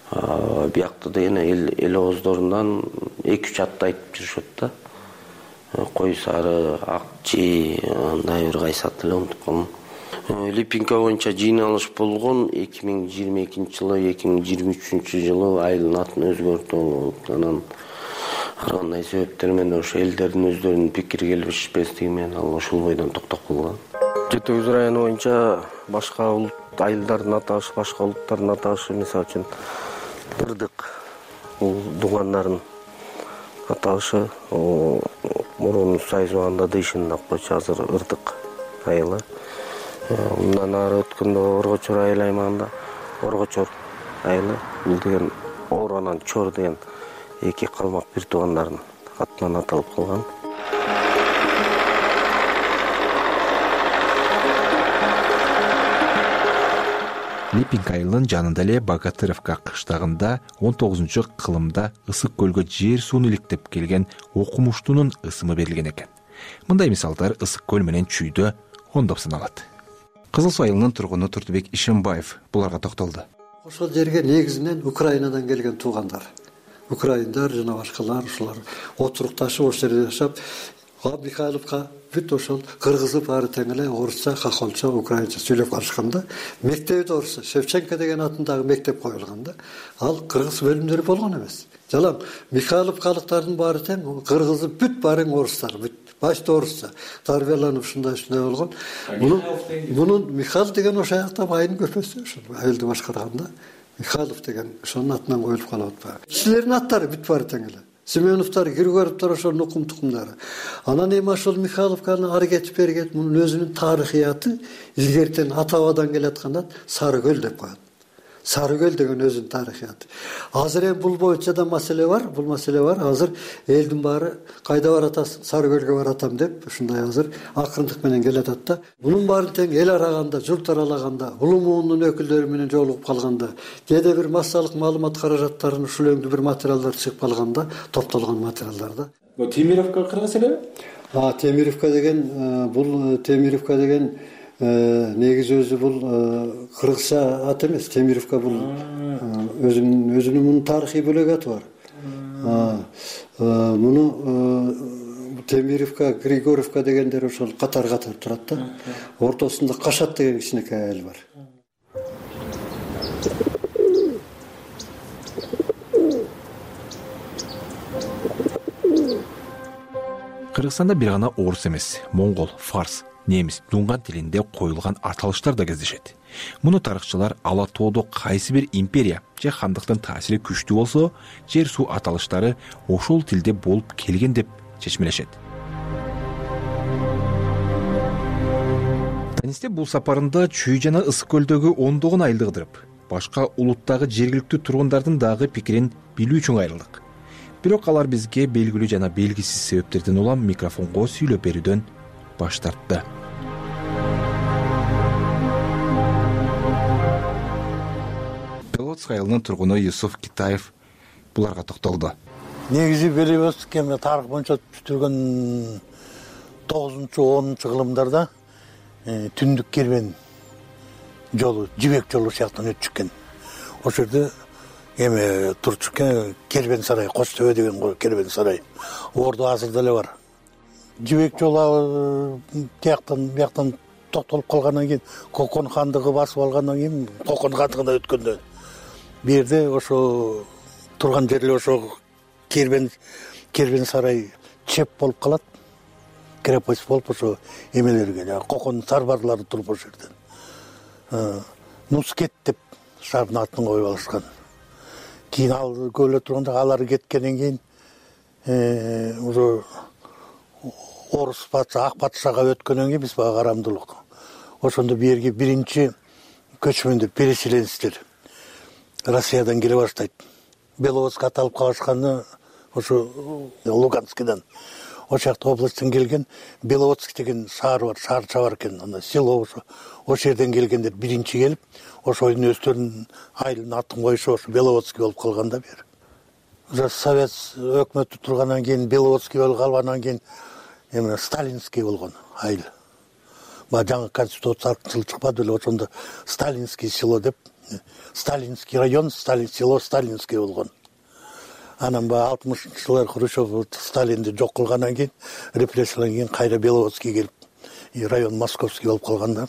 Биякта деген эл эл ооздорунан эки үч атты айтып жүрүшөт да. Кой сары, Акчи, андай бир кайсы ат эле унутуп калдым. Липенка боюнча жыйналыш болгон эки миң жыйырма экинчи жылы, эки миң жыйырма үчүнчү жылы айылдын атын өзгөртүү болуп, анан ар кандай себептер менен ошо элдердин өздөрүнүн пикир келишпестиги менен ал ошол бойдон токтоп калган. Жети Өгүз району боюнча башка улут айылдардын аталышы, башка улуттардын аталышы, мисалы үчүн Ырдык, бул дугандардын аталышы, мурун Сайыз убагында Дыйшын деп койчу, азыр Ырдык айылы. Мындан ары өткөндө Оргочор айыл аймагында Оргочор айылы, бул деген Ор анан Чор деген эки калмак бир туугандардын атынан аталып калган. Липенка айылынын жанында эле Богатыровка кыштагында он тогузунчу кылымда Ысык көлгө жер сууну иликтеп келген окумуштунун ысымы берилген экен. Мындай мисалдар Ысык көл менен Чүйдө ондоп саналат. Кызыл Суу айылынын тургуну Туртубек Ишимбаев буларга токтолду. Ошол жерге негизинен Украинадан келген туугандар. Украиндар жана башкалар ушулар отурукташып ошол жерде жашап, Михайловка бүт ошол кыргызы баары тең эле орусча, хохолча, украинча сүйлөп калышканда, мектеби да орусча, Шевченко деген атындагы мектеп коюлган да. Ал кыргыз бөлүмдөрү болгон эмес. Жалаң Михайловкалыктардын баары тең, кыргызы бүт баарын орустар, бүт башта орусча тарбияланып ушундай ушундай болгон. Мунун мунун Михаил деген ошол жакта байынын көпөсү, ошол айылды башкарганда Михайлов деген ошонун атынан коюлуп калып атпайбы. Кишилердин аттары бүт баары тең эле. Семеновтар, Григоровтар ошол нукум тукумдары. Анан эми ошол Михайловканы ары кетип бери кетип, мунун өзүнүн тарыхыяты илгертен ата-бабадан келаткан ат Сары көл деп коет. Сары көл деген өзүнүн тарыхыяты. Азыр эми бул боюнча да маселе бар, бул маселе бар. Азыр элдин баары кайда баратасың? Сары көлгө баратам деп ушундай азыр акырындык менен келатат да. Мунун баарын тең эл араганда, журт аралаганда, улуу муунун өкүлдөрү менен жолугуп калганда, кээде бир массалык маалымат каражаттарын ушул өңдүү бир материалдар чыгып калганда, топтолгон материалдар да. Бул Темировка кыргыз элеби? А, Темировка деген бул Темировка деген негизи өзү бул кыргызча ат эмес. Темировка бул өзүнүн өзүнүн мунун тарыхый бөлөк аты бар. Муну Темировка, Григорьевка дегендер ошол катар-катар турат да. Ортосунда Кашат деген кичинекей айыл бар. Кыргызстанда бир гана орус эмес, моңгол, фарс, немис, дунган тилинде коюлган аталыштар да кездешет. Муну тарыхчылар ала тоодо кайсы бир империя же хандыктын таасири күчтүү болсо, жер суу аталыштары ошол тилде болуп келген деп чечмелешет. Танисте бул сапарында Чүй жана Ысык көлдөгү ондогон айылды кыдырып, башка улуттагы жергиликтүү тургундардын дагы пикирин билүү үчүн кайрылдык. Бирок алар бизге белгилүү жана белгисиз себептерден улам микрофонго сүйлөп берүүдөн баш тартты. Беловодск айылынын тургуну Юсуф Китаев буларга токтолду. Негизи Беловодск эми тарых боюнча түзүлгөн тогузунчу онунчу кылымдарда түндүк кербен жолу, жибек жолу сыяктуу өтүп чыккан. Ошол жерде эми турчу кербен сарай, Кош төбө деген кербен сарай. Ордо азыр деле бар. Жибек жолу тияктан бияктан токтолуп калгандан кийин, Кокон хандыгы басып алгандан кийин, Кокон хандыгына өткөндө бу жерде ошо турган жерлер ошо кербен кербен сарай чеп болуп калат. Крепость болуп ошо эмелерге, Кокон сарбарлары туруп ошол жерден. Нускет деп шаардын атын коюп алышкан. Кийин ал көлө турганда алар кеткенден кийин ошо орус патша, ак патшага өткөндөн кийин биз бага карамдуулук. Ошондо бу жерге биринчи көчмөндөр, переселенецтер Россиядан келе баштайт. Беловодск аталып калышканы ошо Луганскидан. Ошол жакта областтан келген Беловодск деген шаар бар, шаарча бар экен, анда село ошо. Ошол жерден келгендер биринчи келип, ошойдун өздөрүнүн айылын атын коюшу ошо Беловодск болуп калган да бир. Уже Совет өкмөтү тургандан кийин Беловодск болуп калгандан кийин эми Сталинский болгон айыл. Ба жаңы конституция чыкпады эле, ошондо Сталинский село деп, Сталинский район, Сталин село Сталинский болгон. Анан баягы алтымышынчы жылдар Хрущев Сталинди жок кылгандан кийин, репрессиялардан кийин кайра Беловодский келип, район Московский болуп калган да.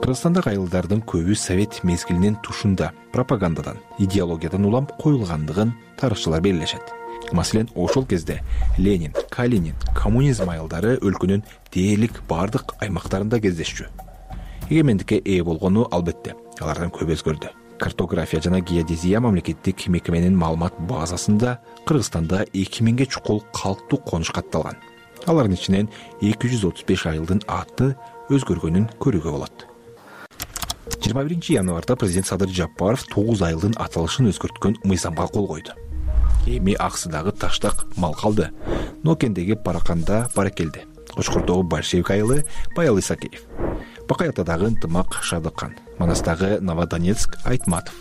Кыргызстандагы айылдардын көбү совет мезгилинин тушунда пропагандадан, идеологиядан улам коюлгандыгын тарыхчылар белгилешет. Маселен, ошол кезде Ленин, Калинин, коммунизм айылдары өлкөнүн дээрлик бардык аймактарында кездешчү. Эгемендикке ээ болгону албетте, алардан көп өзгөрдү. Картография жана геодезия мамлекеттик мекеменин маалымат базасында Кыргызстанда эки миңге чукул калктуу конуш катталган. Алардын ичинен эки жүз отуз беш айылдын аты өзгөргөнүн көрүүгө болот. жыйырма биринчи январда президент Садыр Жапаров тогуз айылдын аталышын өзгөрткөн мыйзамга кол койду. Эми Аксыдагы Таштак мал калды. Нокендеги Параканда Баракелди. Кочкордогу Большевик айылы Баял Исакеев. Бакай Атадагы Ынтымак Шадыккан. Манастагы Новодонецк Айтматов.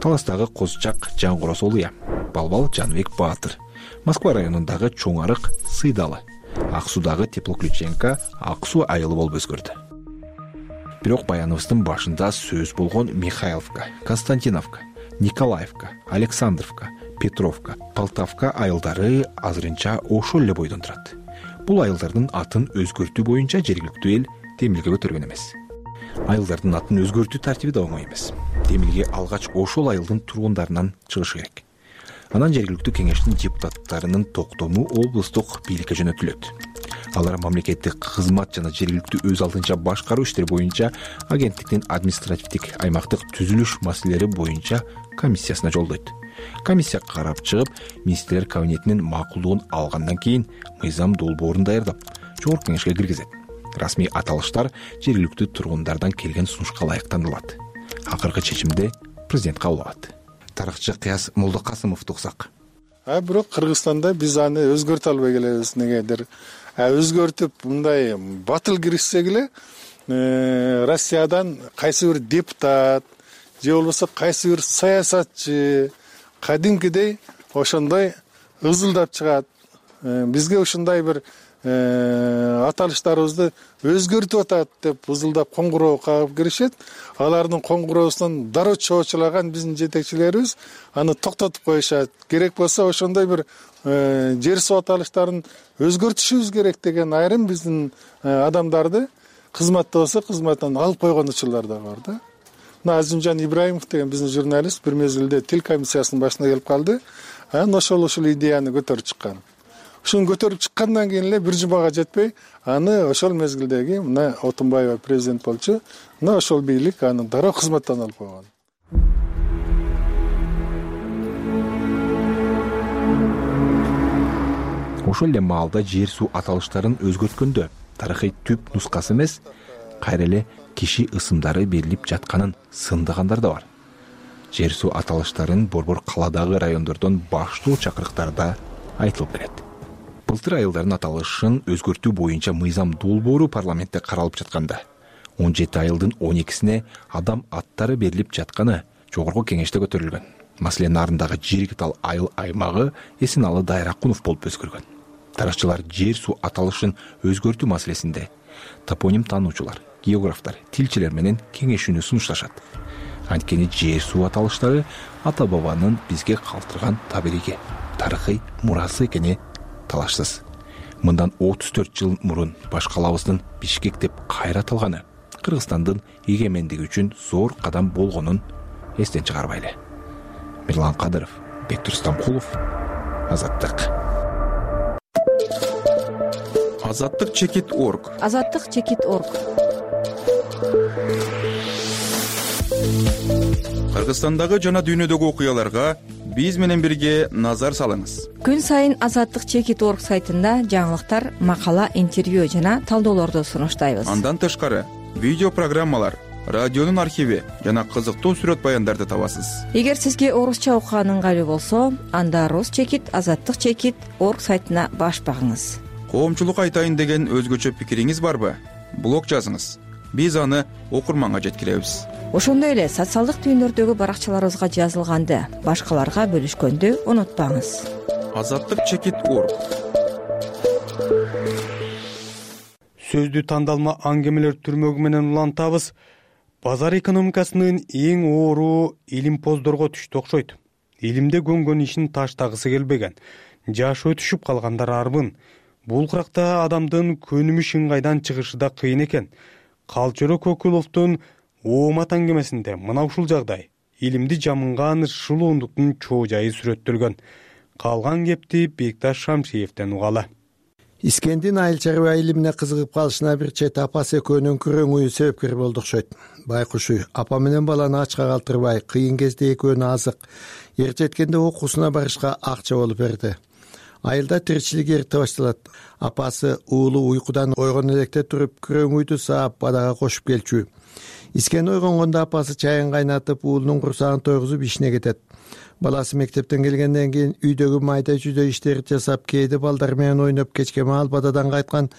Таластагы Козчак Жангорос Олуя. Балбал Жанбек Баатыр. Москва районундагы Чоң Арык Сыйдалы. Ак Судагы Теплоключенко Ак Суу айылы болуп өзгөрдү. Бирок баяныбыздын башында сөз болгон Михайловка, Константиновка, Николаевка, Александровка, Петровка, Полтавка айылдары азырынча ошол эле бойдон турат. Бул айылдардын атын өзгөртүү боюнча жергиликтүү эл демилге көтөргөн эмес. Айылдардын атын өзгөртүү тартиби да оңой эмес. Демилге алгач ошол айылдын тургундарынан чыгышы керек. Анан жергиликтүү кеңештин депутаттарынын токтому облустук бийликке жөнөтүлөт. Алар мамлекеттик кызмат жана жергиликтүү өз алдынча башкаруу иштери боюнча агенттиктин административдик аймактык түзүлүш маселелери боюнча комиссиясына жолдойт. Комиссия карап чыгып, министрлер кабинетинин макулдугун алгандан кийин мыйзам долбоорун даярдап, жогорку кеңешке киргизет. Расмий аталыштар жергиликтүү тургундардан келген сунушка ылайык танылат. Акыркы чечимди президент кабыл алат. Тарыхчы Кыяз Молдокасымовду уксак. А бирок Кыргызстанда биз аны өзгөртө албай келебиз. Негедир өзгөртүп мындай батыл киришсек эле Россиядан кайсы бир депутат же болбосо кайсы бир саясатчы кадимкидей ошондой ызылдап чыгат. Бизге ушундай бир аталыштарыбызды өзгөртүп атат деп ызылдап коңгуроо кагып киришет. Алардын коңгуроосунан дароо чоочулаган биздин жетекчилерибиз аны токтотуп коюшат. Керек болсо ошондой бир жер суу аталыштарын өзгөртүшүбүз керек деген айрым биздин адамдарды кызматта болсо кызматтан алып койгон учурлар да бар да. Мына Азимжан Ибраимов деген биздин журналист бир мезгилде тил комиссиясынын башына келип калды. Анан ошол ушул идеяны көтөрүп чыккан. Ушуну көтөрүп чыккандан кийин эле бир жумага жетпей, аны ошол мезгилдеги мына Отунбаева президент болчу. Мына ошол бийлик аны дароо кызматтан алып койгон. Ошол эле маалда жер суу аталыштарын өзгөрткөндө тарыхый түп нускасы эмес, кайра эле киши ысымдары берилип жатканын сындыгандар да бар. Жер суу аталыштарын борбор каладагы райондордон баштуу чакырыктарда айтылып келет. Былтыр айылдардын аталышын өзгөртүү боюнча мыйзам долбоору парламентте каралып жатканда он жети айылдын он экисине адам аттары берилип жатканы жогорку кеңеште көтөрүлгөн. Маселен, нарындагы Жиргитал айыл аймагы Эсеналы Дайракунов болуп өзгөргөн. Тарыхчылар жер суу аталышын өзгөртүү маселесинде топоним таануучулар, географтар, тилчилер менен кеңешүүнү сунушташат. Анткени жер суу аталыштары ата бабанын бизге калтырган табириги, тарыхый мурасы экени талашсыз. Мындан отуз төрт жыл мурун баш калабыздын Бишкек деп кайра аталганы Кыргызстандын эгемендиги үчүн зор кадам болгонун эстен чыгарбайлы. Мирлан Кадыров, Бектур Стамкулов, Азаттык. Азаттык чекит точка орг. Азаттык чекит точка орг. Кыргызстандагы жана дүйнөдөгү окуяларга биз менен бирге назар салыңыз. Күн сайын Азаттык чекит точка орг сайтында жаңылыктар, макала, интервью жана талдоолорду сунуштайбыз. Андан тышкары видео программалар, радионун архиви жана кызыктуу сүрөт баяндарды табасыз. Эгер сизге орусча окуган ыңгайлуу болсо, анда Рус чекит азаттык чекит точка орг сайтына баш багыңыз. Коомчулук айтайын деген өзгөчө пикириңиз барбы? Блог жазыңыз. Биз аны окурманга жеткиребиз. Ошондой эле социалдык түйүндөрдөгү баракчаларыбызга жазылганды башкаларга бөлүшкөндү унутпаңыз. Азаттык чекит точка орг. Сөздү тандалма аңгемелер түрмөгү менен улантабыз. Базар экономикасынын эң оору илимпоздорго түштү окшойт. Илимде көнгөн ишин таштагысы келбеген, жашы өтүшүп калгандар арбын. Бул кыракта адамдын көнүмүш ыңгайдан чыгышы да кыйын экен. Калчоро Көкүловдун Оомат аңгемесинде мына ушул жагдай илимди жамынган шылуундуктун чоо жайы сүрөттөлгөн. Калган кепти Бекташ Шамшиевден угалы. Искендин айыл чарба илимине кызыгып калышына бир чет апасы экөөнүн күрөңү себепкер болду окшойт. Байкушу апа менен баланы ачка калтырбай, кыйын кезде экөөнү азык, эр жеткенде окуусуна барышка акча болуп берди. Айылда тиричилик эрте башталат. Апасы уулу уйкудан ойгон электе туруп күрөңүйдү саап бадага кошуп келчү. Искен ойгонгондо апасы чайын кайнатып, уулунун курсагын тойгузуп ишине кетет. Баласы мектептен келгенден кийин үйдөгү майда жүдө иштерди жасап, кээде балдар менен ойноп, кечке маал бададан кайткан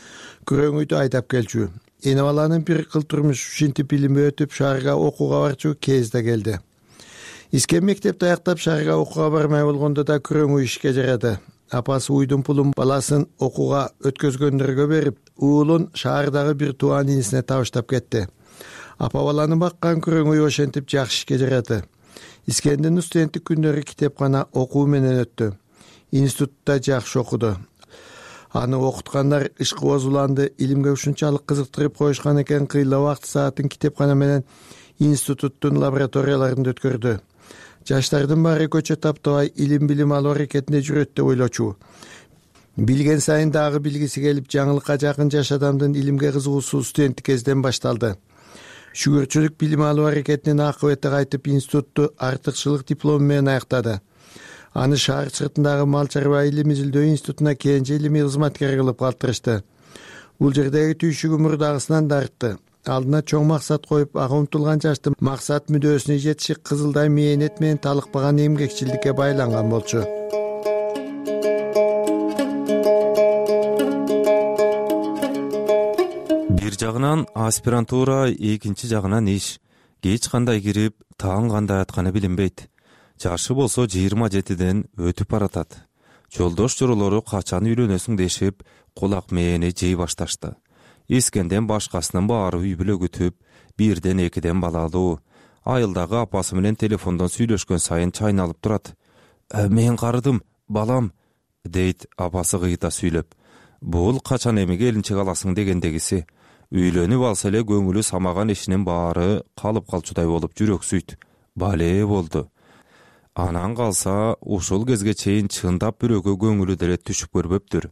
күрөңүйдү айдап келчү. Эне баланын бир кыл турмуш ушинтип илими өтүп, шаарга окууга барчу кез да келди. Искен мектепти аяктап шаарга окууга бармай болгондо да күрөңү ишке жарады. Апасы уйдун пулун баласын окууга өткөзгөндөргө берип, уулун шаардагы бир тууан инисине табыштап кетти. Апа баланы баккан күрөңү ошентип жакшы ишке жарады. Искендин студенттик күндөрү китепкана окуу менен өттү. Институтта жакшы окуду. Аны окуткандар ишкыбоз уланды, илимге ушунчалык кызыктырып коюшкан экен, кыйла убакыт саатын китепкана менен институттун лабораторияларында өткөрдү. Жаштардын баары көчө таптабай илим билим алуу аракетинде жүрөт деп ойлочу. Билген сайын дагы билгиси келип, жаңылыкка жакын жаш адамдын илимге кызыгуусу студенттик кезден башталды. Шүгүрчүлүк билим алуу аракетинин акыбети кайтып, институтту артыкчылык диплому менен аяктады. Аны шаар сыртындагы мал чарба илим изилдөө институтуна кенже илимий кызматкер кылып калтырышты. Бул жердеги түйшүгү мурдагысынан да артты. алдына чоң максат коюп ага умтулган жашты максат мүдөөсүнө жетиши кызылдай мээнет менен талыкпаган эмгекчилдикке байланган болчу. Бир жагынан аспирантура, экинчи жагынан иш. Кеч кандай кирип, таң кандай атканы билинбейт. Жашы болсо жыйырма жетиден өтүп баратат. Жолдош жоролору качан үйлөнөсүң дешип, кулак мээни жей башташты. Искенден башкасынын баары үй бүлө күтүп, бирден экиден балалуу. Айылдагы апасы менен телефондон сүйлөшкөн сайын чайналып турат. «Э, мен карыдым, балам», дейт апасы кыйта сүйлөп. Бул качан эми келинчек аласың дегендегиси. Үйлөнүп алса эле көңүлү самаган ишинин баары калып калчудай болуп жүрөксүйт. Бале болду. Анан калса, ушул кезге чейин чындап бирөөгө көңүлү деле түшүп көрбөптүр.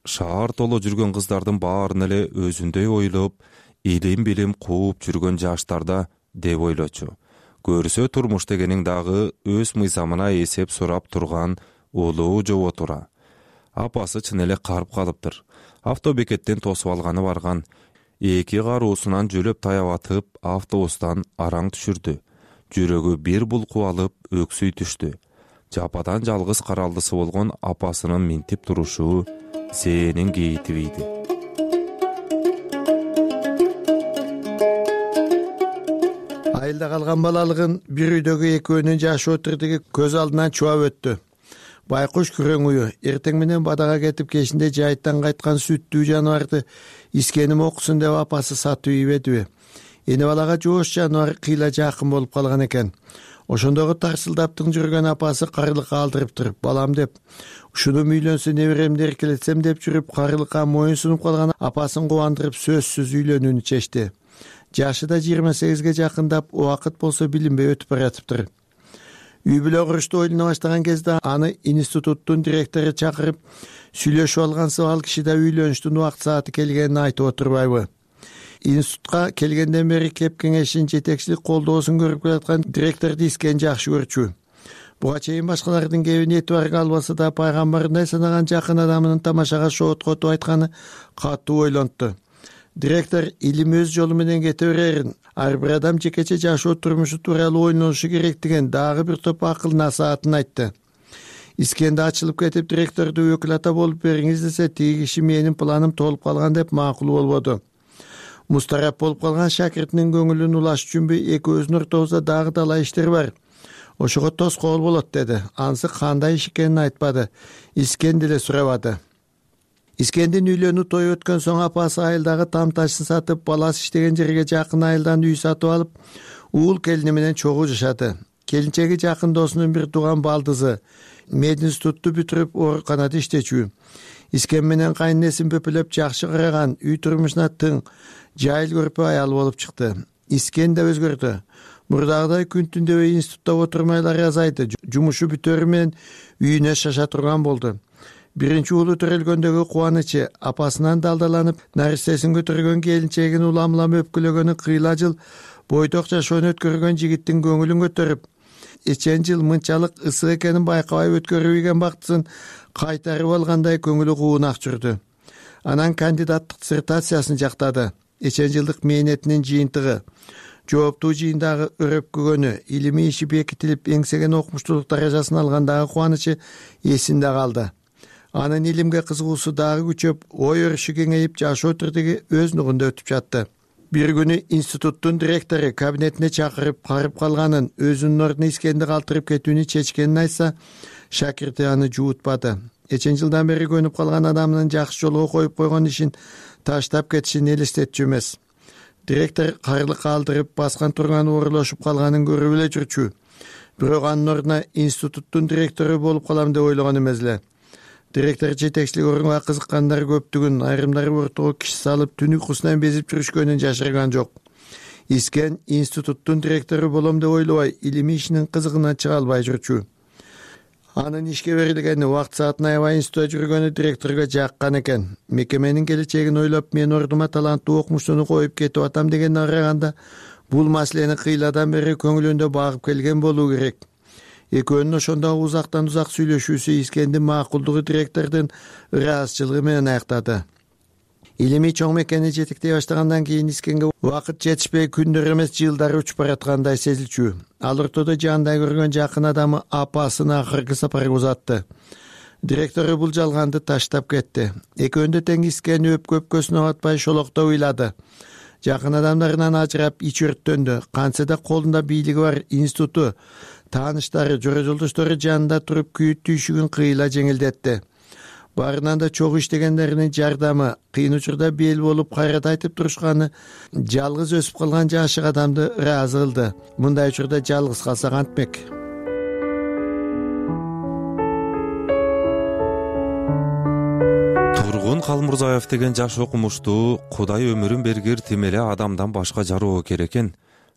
Шаар толо жүргөн кыздардын баарын эле өзүндөй ойлоп, илим билим кууп жүргөн жаштарда деп ойлочу. Көрсө турмуш дегениң дагы өз мыйзамына эсеп сурап турган улуу жоботура. Апасы чын эле карып калыптыр. Автобекеттен тосуп алганы барган. Эки каруусунан жөлөп таябатып, автобустан араң түшүрдү. Жүрөгү бир булкуп алып, өксүй түштү. Жападан жалгыз каралдысы болгон апасынын минтип турушу зээнин кейитибийди. Айылда калган балалыгын бир үйдөгү экөөнүн жашы отурдуги көз алдынан чубап өттү. Байкуш күрөң ую эртең менен бадага кетип кечинде жайыттан кайткан сүттүү жаныбарды искеним окусун деп апасы сатып ийбедиби? Эне балага жоош жаныбар кыйла жакын болуп калган экен. Ошондогу тарсылдаптың жүргөн апасы карылыкка алдырыптыр, балам деп. Ушуну үйлөнсө неберемди эркелетсем деп жүрүп, карылыкка моюн сунуп калган апасын кубандырып сөзсүз үйлөнүүнү чечти. Жашы да жыйырма сегизге жакындап, убакыт болсо билинбей өтүп баратыптыр. Үй бүлө курушты ойлоно баштаган кезде аны институттун директору чакырып, сүйлөшүп алгансып, ал киши да үйлөнүштүн убакыт сааты келгенин айтып отурбайбы? Институтка келгенден бери кеп кеңешин жетекчилик колдоосун көрүп келаткан директорду Искен жакшы көрчү. Буга чейин башкалардын кебин этибарга албаса да, пайгамбарындай санаган жакын адамынын тамашага шооткотуп айтканы катуу ойлонту. Директор илим өз жолу менен кете берерин, ар бир адам жекече жашоо турмушу тууралуу ойлонушу керектигин дагы бир топ акыл насаатын айтты. Искенде ачылып кетип, директорду өкүлата болуп бериңиз десе, тиги киши менин планым толуп калган деп макул болбоду. Мустарап болуп калган шакиртинин көңүлүн улаш үчүнбү экөөбүздүн ортобузда дагы талай иштер бар. Ошого тоскоол болот деди. Ансы кандай иш экенин айтпады. Искен деле сурабады. Искендин үйлөнүү тою өткөн соң апасы айылдагы там ташын сатып, баласы иштеген жерге жакын айылдан үй сатып алып, уул келини менен чогуу жашады. Келинчеги жакын досунун бир тууган балдызы, мединститутту бүтүрүп ооруканада иштечү. Искен менен кайненесин бөпөлөп жакшы караган, үй турмушуна тың, жайыл көрпө аял болуп чыкты. Искен да өзгөрдү. Мурдагыдай күн түндөбөй институтта отурмайлары азайды. Жумушу бүтөрү менен үйүнө шаша турган болду. Биринчи уулу төрөлгөндөгү кубанычы, апасынан далдаланып, наристесин көтөргөн келинчегин улам-улам өпкүлөгөнү кыйла жыл бойдок жашоону өткөргөн жигиттин көңүлүн көтөрүп, эчен жыл мынчалык ысык экенин байкабай өткөрүп ийген бактысын кайтарып алгандай көңүлү куунак жүрдү. Анан кандидаттык диссертациясын жактады. Эчен жылдык мээнетинин жыйынтыгы, жооптуу жыйындагы өрөпкөгөнү, илимий иши бекитилип, эңсеген окумуштуулук даражасын алгандагы кубанычы эсинде калды. Анын илимге кызыгуусу дагы күчөп, ой өрүшү кеңейип, жашоо тирдиги өз нугунда өтүп жатты. Бир күнү институттун директору кабинетине чакырып, карып калганын, өзүнүн ордуна Искенди калтырып кетүүнү чечкенин айтса, шакирти аны жуутпады. Эчен жылдан бери көнүп калган адамдын жакшы жолго коюп койгон ишин таштап кетишин элестетчү эмес. Директор карылыкка алдырып, баскан турган оорулашып калганын көрүп эле жүрчү. Бирок анын ордуна институттун директору болуп калам деп ойлогон эмес эле. Директор жетекчилик орунга кызыккандар көптүгүн, айрымдары ортого киши салып, түн уйкусунан безип жүрүшкөнүн жашырган жок. Искен институттун директору болом деп ойлобой, илимий ишинин кызыгынан чыга албай жүрчү. Анын ишке берилгени, убакыт саатын аябай институтта жүргөнү директорго жаккан экен. Мекеменин келечегин ойлоп, мен ордума таланттуу окумуштууну коюп кетип атам дегенди караганда, бул маселени кыйладан бери көңүлүндө багып келген болуу керек. Экөөнүн ошондогу узактан узак сүйлөшүүсү Искендин макулдугу директордун ыраазычылыгы менен аяктады. илимий чоң мекени жетектей баштагандан кийин Искенге убакыт жетишпей күндөр эмес жылдар учуп бараткандай сезилчү. Ал ортодо жаандай көргөн жакын адамы апасын акыркы сапарга узатты. Директору бул жалганды таштап кетти. Экөөндө тең Искени өпкө өпкөсүнө батпай шолокто уйлады. Жакын адамдарынан ажырап ич өрттөндү. Кантсе да колунда бийлиги бар институту, тааныштары, жора жолдоштору жанында туруп күйүт түйшүгүн кыйла жеңилдетти. Баарынан да чогуу иштегендеринин жардамы, кыйын учурда бел болуп кайрат айтып турушканы жалгыз өсүп калган жашык адамды ыраазы кылды. Мындай учурда жалгыз калса кантмек? Тургун Калмурзаев деген жаш окумуштуу Кудай өмүрүн бергир тим эле адамдан башка жароо керек экен.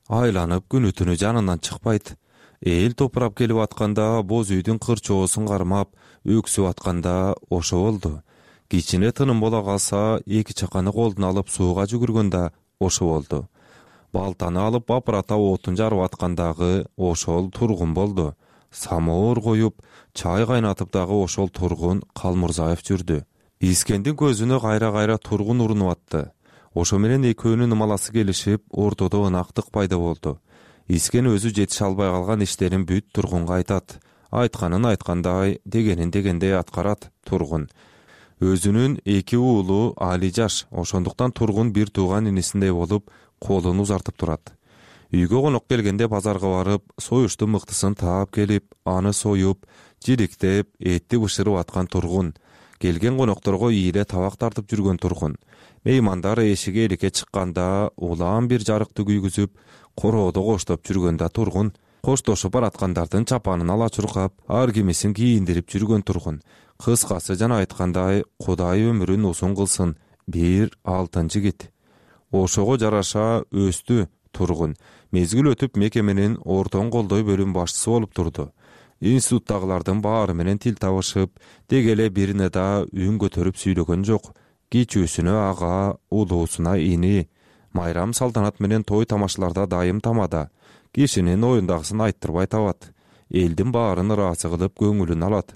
Айланып күнү түнү жанынан чыкпайт. Эл топурап келип атканда боз үйдүн кырчоосун кармап, өксүп атканда ошо болду. Кичине тыным бола калса, эки чаканы колдуна алып сууга жүгүргөндө ошо болду. Балтаны алып бапырата отун жарып аткандагы ошол Тургун болду. Самоор коюп, чай кайнатып дагы ошол Тургун Калмурзаев жүрдү. Искендин көзүнө кайра-кайра Тургун урунуп атты. Ошо менен экөөнүн ымаласы келишип, ортодо ынактык пайда болду. Искен өзү жетише албай калган иштерин бүт Тургунга айтат. Айтканын айткандай, дегенин дегендей аткарат Тургун. Өзүнүн эки уулу али жаш, ошондуктан Тургун бир тууган инисиндей болуп, колун узартып турат. Үйгө конок келгенде базарга барып, союштун мыктысын таап келип, аны союп, жириктеп, этти бышырып аткан Тургун. Келген конокторго ийиле табак тартып жүргөн Тургун. Меймандар эшиге эликке чыкканда, улаан бир жарыкты күйгүзүп, короодо коштоп жүргөндө Тургун. Коштошуп бараткандардын чапанын ала чуркап, ар кимисин кийиндирип жүргөн Тургун. Кыскасы жана айткандай, Кудай өмүрүн узун кылсын, бир алтын жигит. Ошого жараша өстү Тургун. Мезгил өтүп мекеменин ортон колдой бөлүм башчысы болуп турду. Институттагылардын баары менен тил табышып, дегеле бирине да үн көтөрүп сүйлөгөн жок. Кичүүсүнө ага, улуусуна ини. Майрам салтанат менен той тамашаларда дайым тамада. Кишинин оюндагысын айттырбай табат. Элдин баарын ыраазы кылып көңүлүн алат.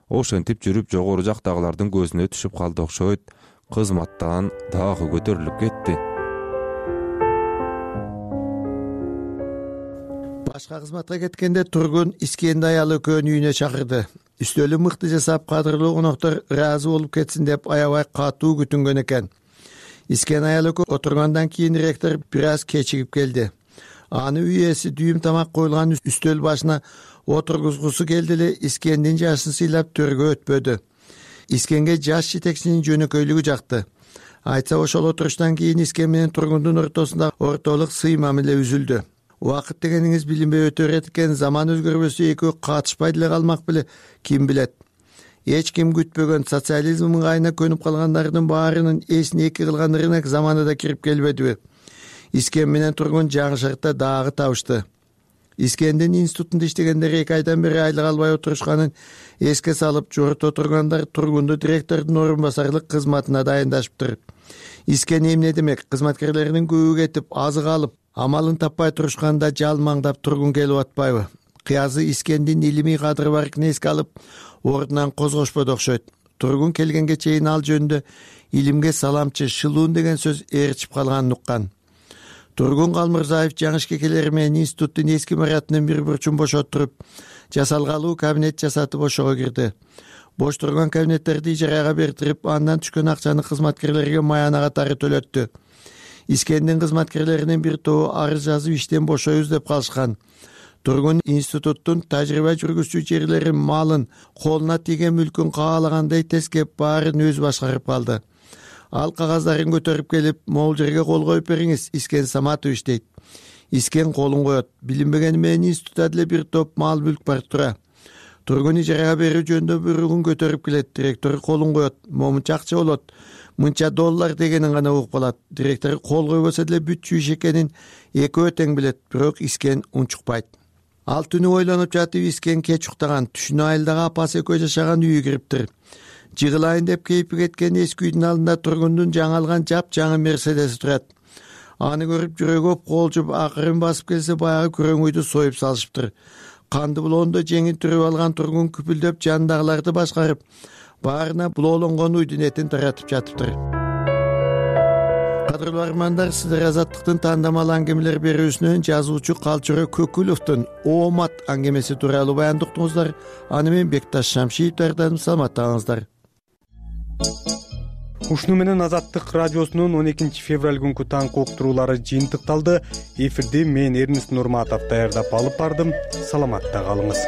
Ошентип жүрүп жогору жактагылардын көзүнө түшүп калды окшойт. Кызматтан дагы көтөрүлүп кетти. Башка кызматка кеткенде Тургун Искенди аялы экөөнү үйүнө чакырды. Үстөлү мыкты жасап, кадырлуу коноктор ыраазы болуп кетсин деп аябай катуу күтүнгөн экен. Искен аялы отургандан кийин ректор бир аз кечигип келди. Аны үй ээси дүйүм тамак коюлган үстөл башына отургузгусу келди эле Искендин жашын сыйлап төргө өтпөдү. Искенге жаш жетекчинин жөнөкөйлүгү жакты. Айтса ошол отуруштан кийин Искен менен Тургундун ортосунда ортолук сый мамиле үзүлдү. Убакыт дегениңиз билинбей өтө берет экен, заман өзгөрбөсө экөө катышпай деле калмак беле, ким билет. Эч ким күтпөгөн социализм ыңгайына көнүп калгандардын баарынын эсин эки кылган рынок заманы да кирип келбедиби? Искен менен Тургун жаңы шартта дагы табышты. Искендин институтунда иштегендер эки айдан бери айлык албай отурушканын эске салып, жорто тургандар Тургунду директордун орун басарлык кызматына дайындашыптыр. Искен эмне демек? Кызматкерлеринин көбү кетип, азык алып, амалын таппай турушканда жалмаңдап Тургун келип атпайбы? Кыязы Искендин илимий кадыры баркын эске алып, ордунан козгошподу окшойт. Тургун келгенге чейин ал жөнүндө илимге саламчы, шылуун деген сөз ээрчип калганын уккан. Тургун Калмурзаев жаңы ишке келери менен институттун эски имаратынын бир бурчун бошоттуруп, жасалгалуу кабинет жасатып ошого кирди. Бош турган кабинеттерди ижарага бертирип, андан түшкөн акчаны кызматкерлерге маяна катары төлөттү. Искендин кызматкерлеринин бир тобу арыз жазып иштен бошойбуз деп калышкан. Тургун институттун тажрыйба жүргүзчү жерлерин, малын, колуна тийген мүлкүн каалагандай тескеп, баарын өзү башкарып калды. Ал кагаздарын көтөрүп келип, могул жерге кол коюп бериңиз, Искен Саматович дейт. Искен колун коет. Билинбегени менен институтта деле бир топ мал мүлк бар тура. Тургун ижарага берүү жөнүндө буйругун көтөрүп келет. Директор колун коет. Момунча акча болот. Мынча доллар дегенин гана угуп калат. Директор кол койбосо деле бүтчү иш экенин экөө тең билет, бирок Искен унчукпайт. Ал түнү ойлонуп жатып, Искен кеч уктаган. Түшүнө айылдагы апасы экөө жашаган үйү кириптир. Жыгылайын деп кейпи кеткен эски үйдүн алдында Тургундун жаңы алган жап жаңы Мерседеси турат. Аны көрүп жүрөгү колжуп, акырын басып келсе, баягы күрөң үйдү союп салышыптыр. Канды булоондо жеңин түрүп алган Тургун күпүлдөп жандагыларды башкарып, баарына булоолонгон үйдүн этин таратып жатыптыр. кадырлуу армандар, сиздер Азаттыктын таандамал аңгемелер берүүсүнөн жазуучу Калчыры Көкүловдун Оомат аңгемеси тууралуу баянды уктуңуздар. Аны менен Бекташ Шамшиев даярдадым. Саламаттаңыздар. Ушуну менен Азаттык радиосунун он экинчи февраль күнкү таңкы уктуруулары жыйынтыкталды. Эфирди мен Эрнест Нурматов даярдап алып бардым. Саламатта калыңыз.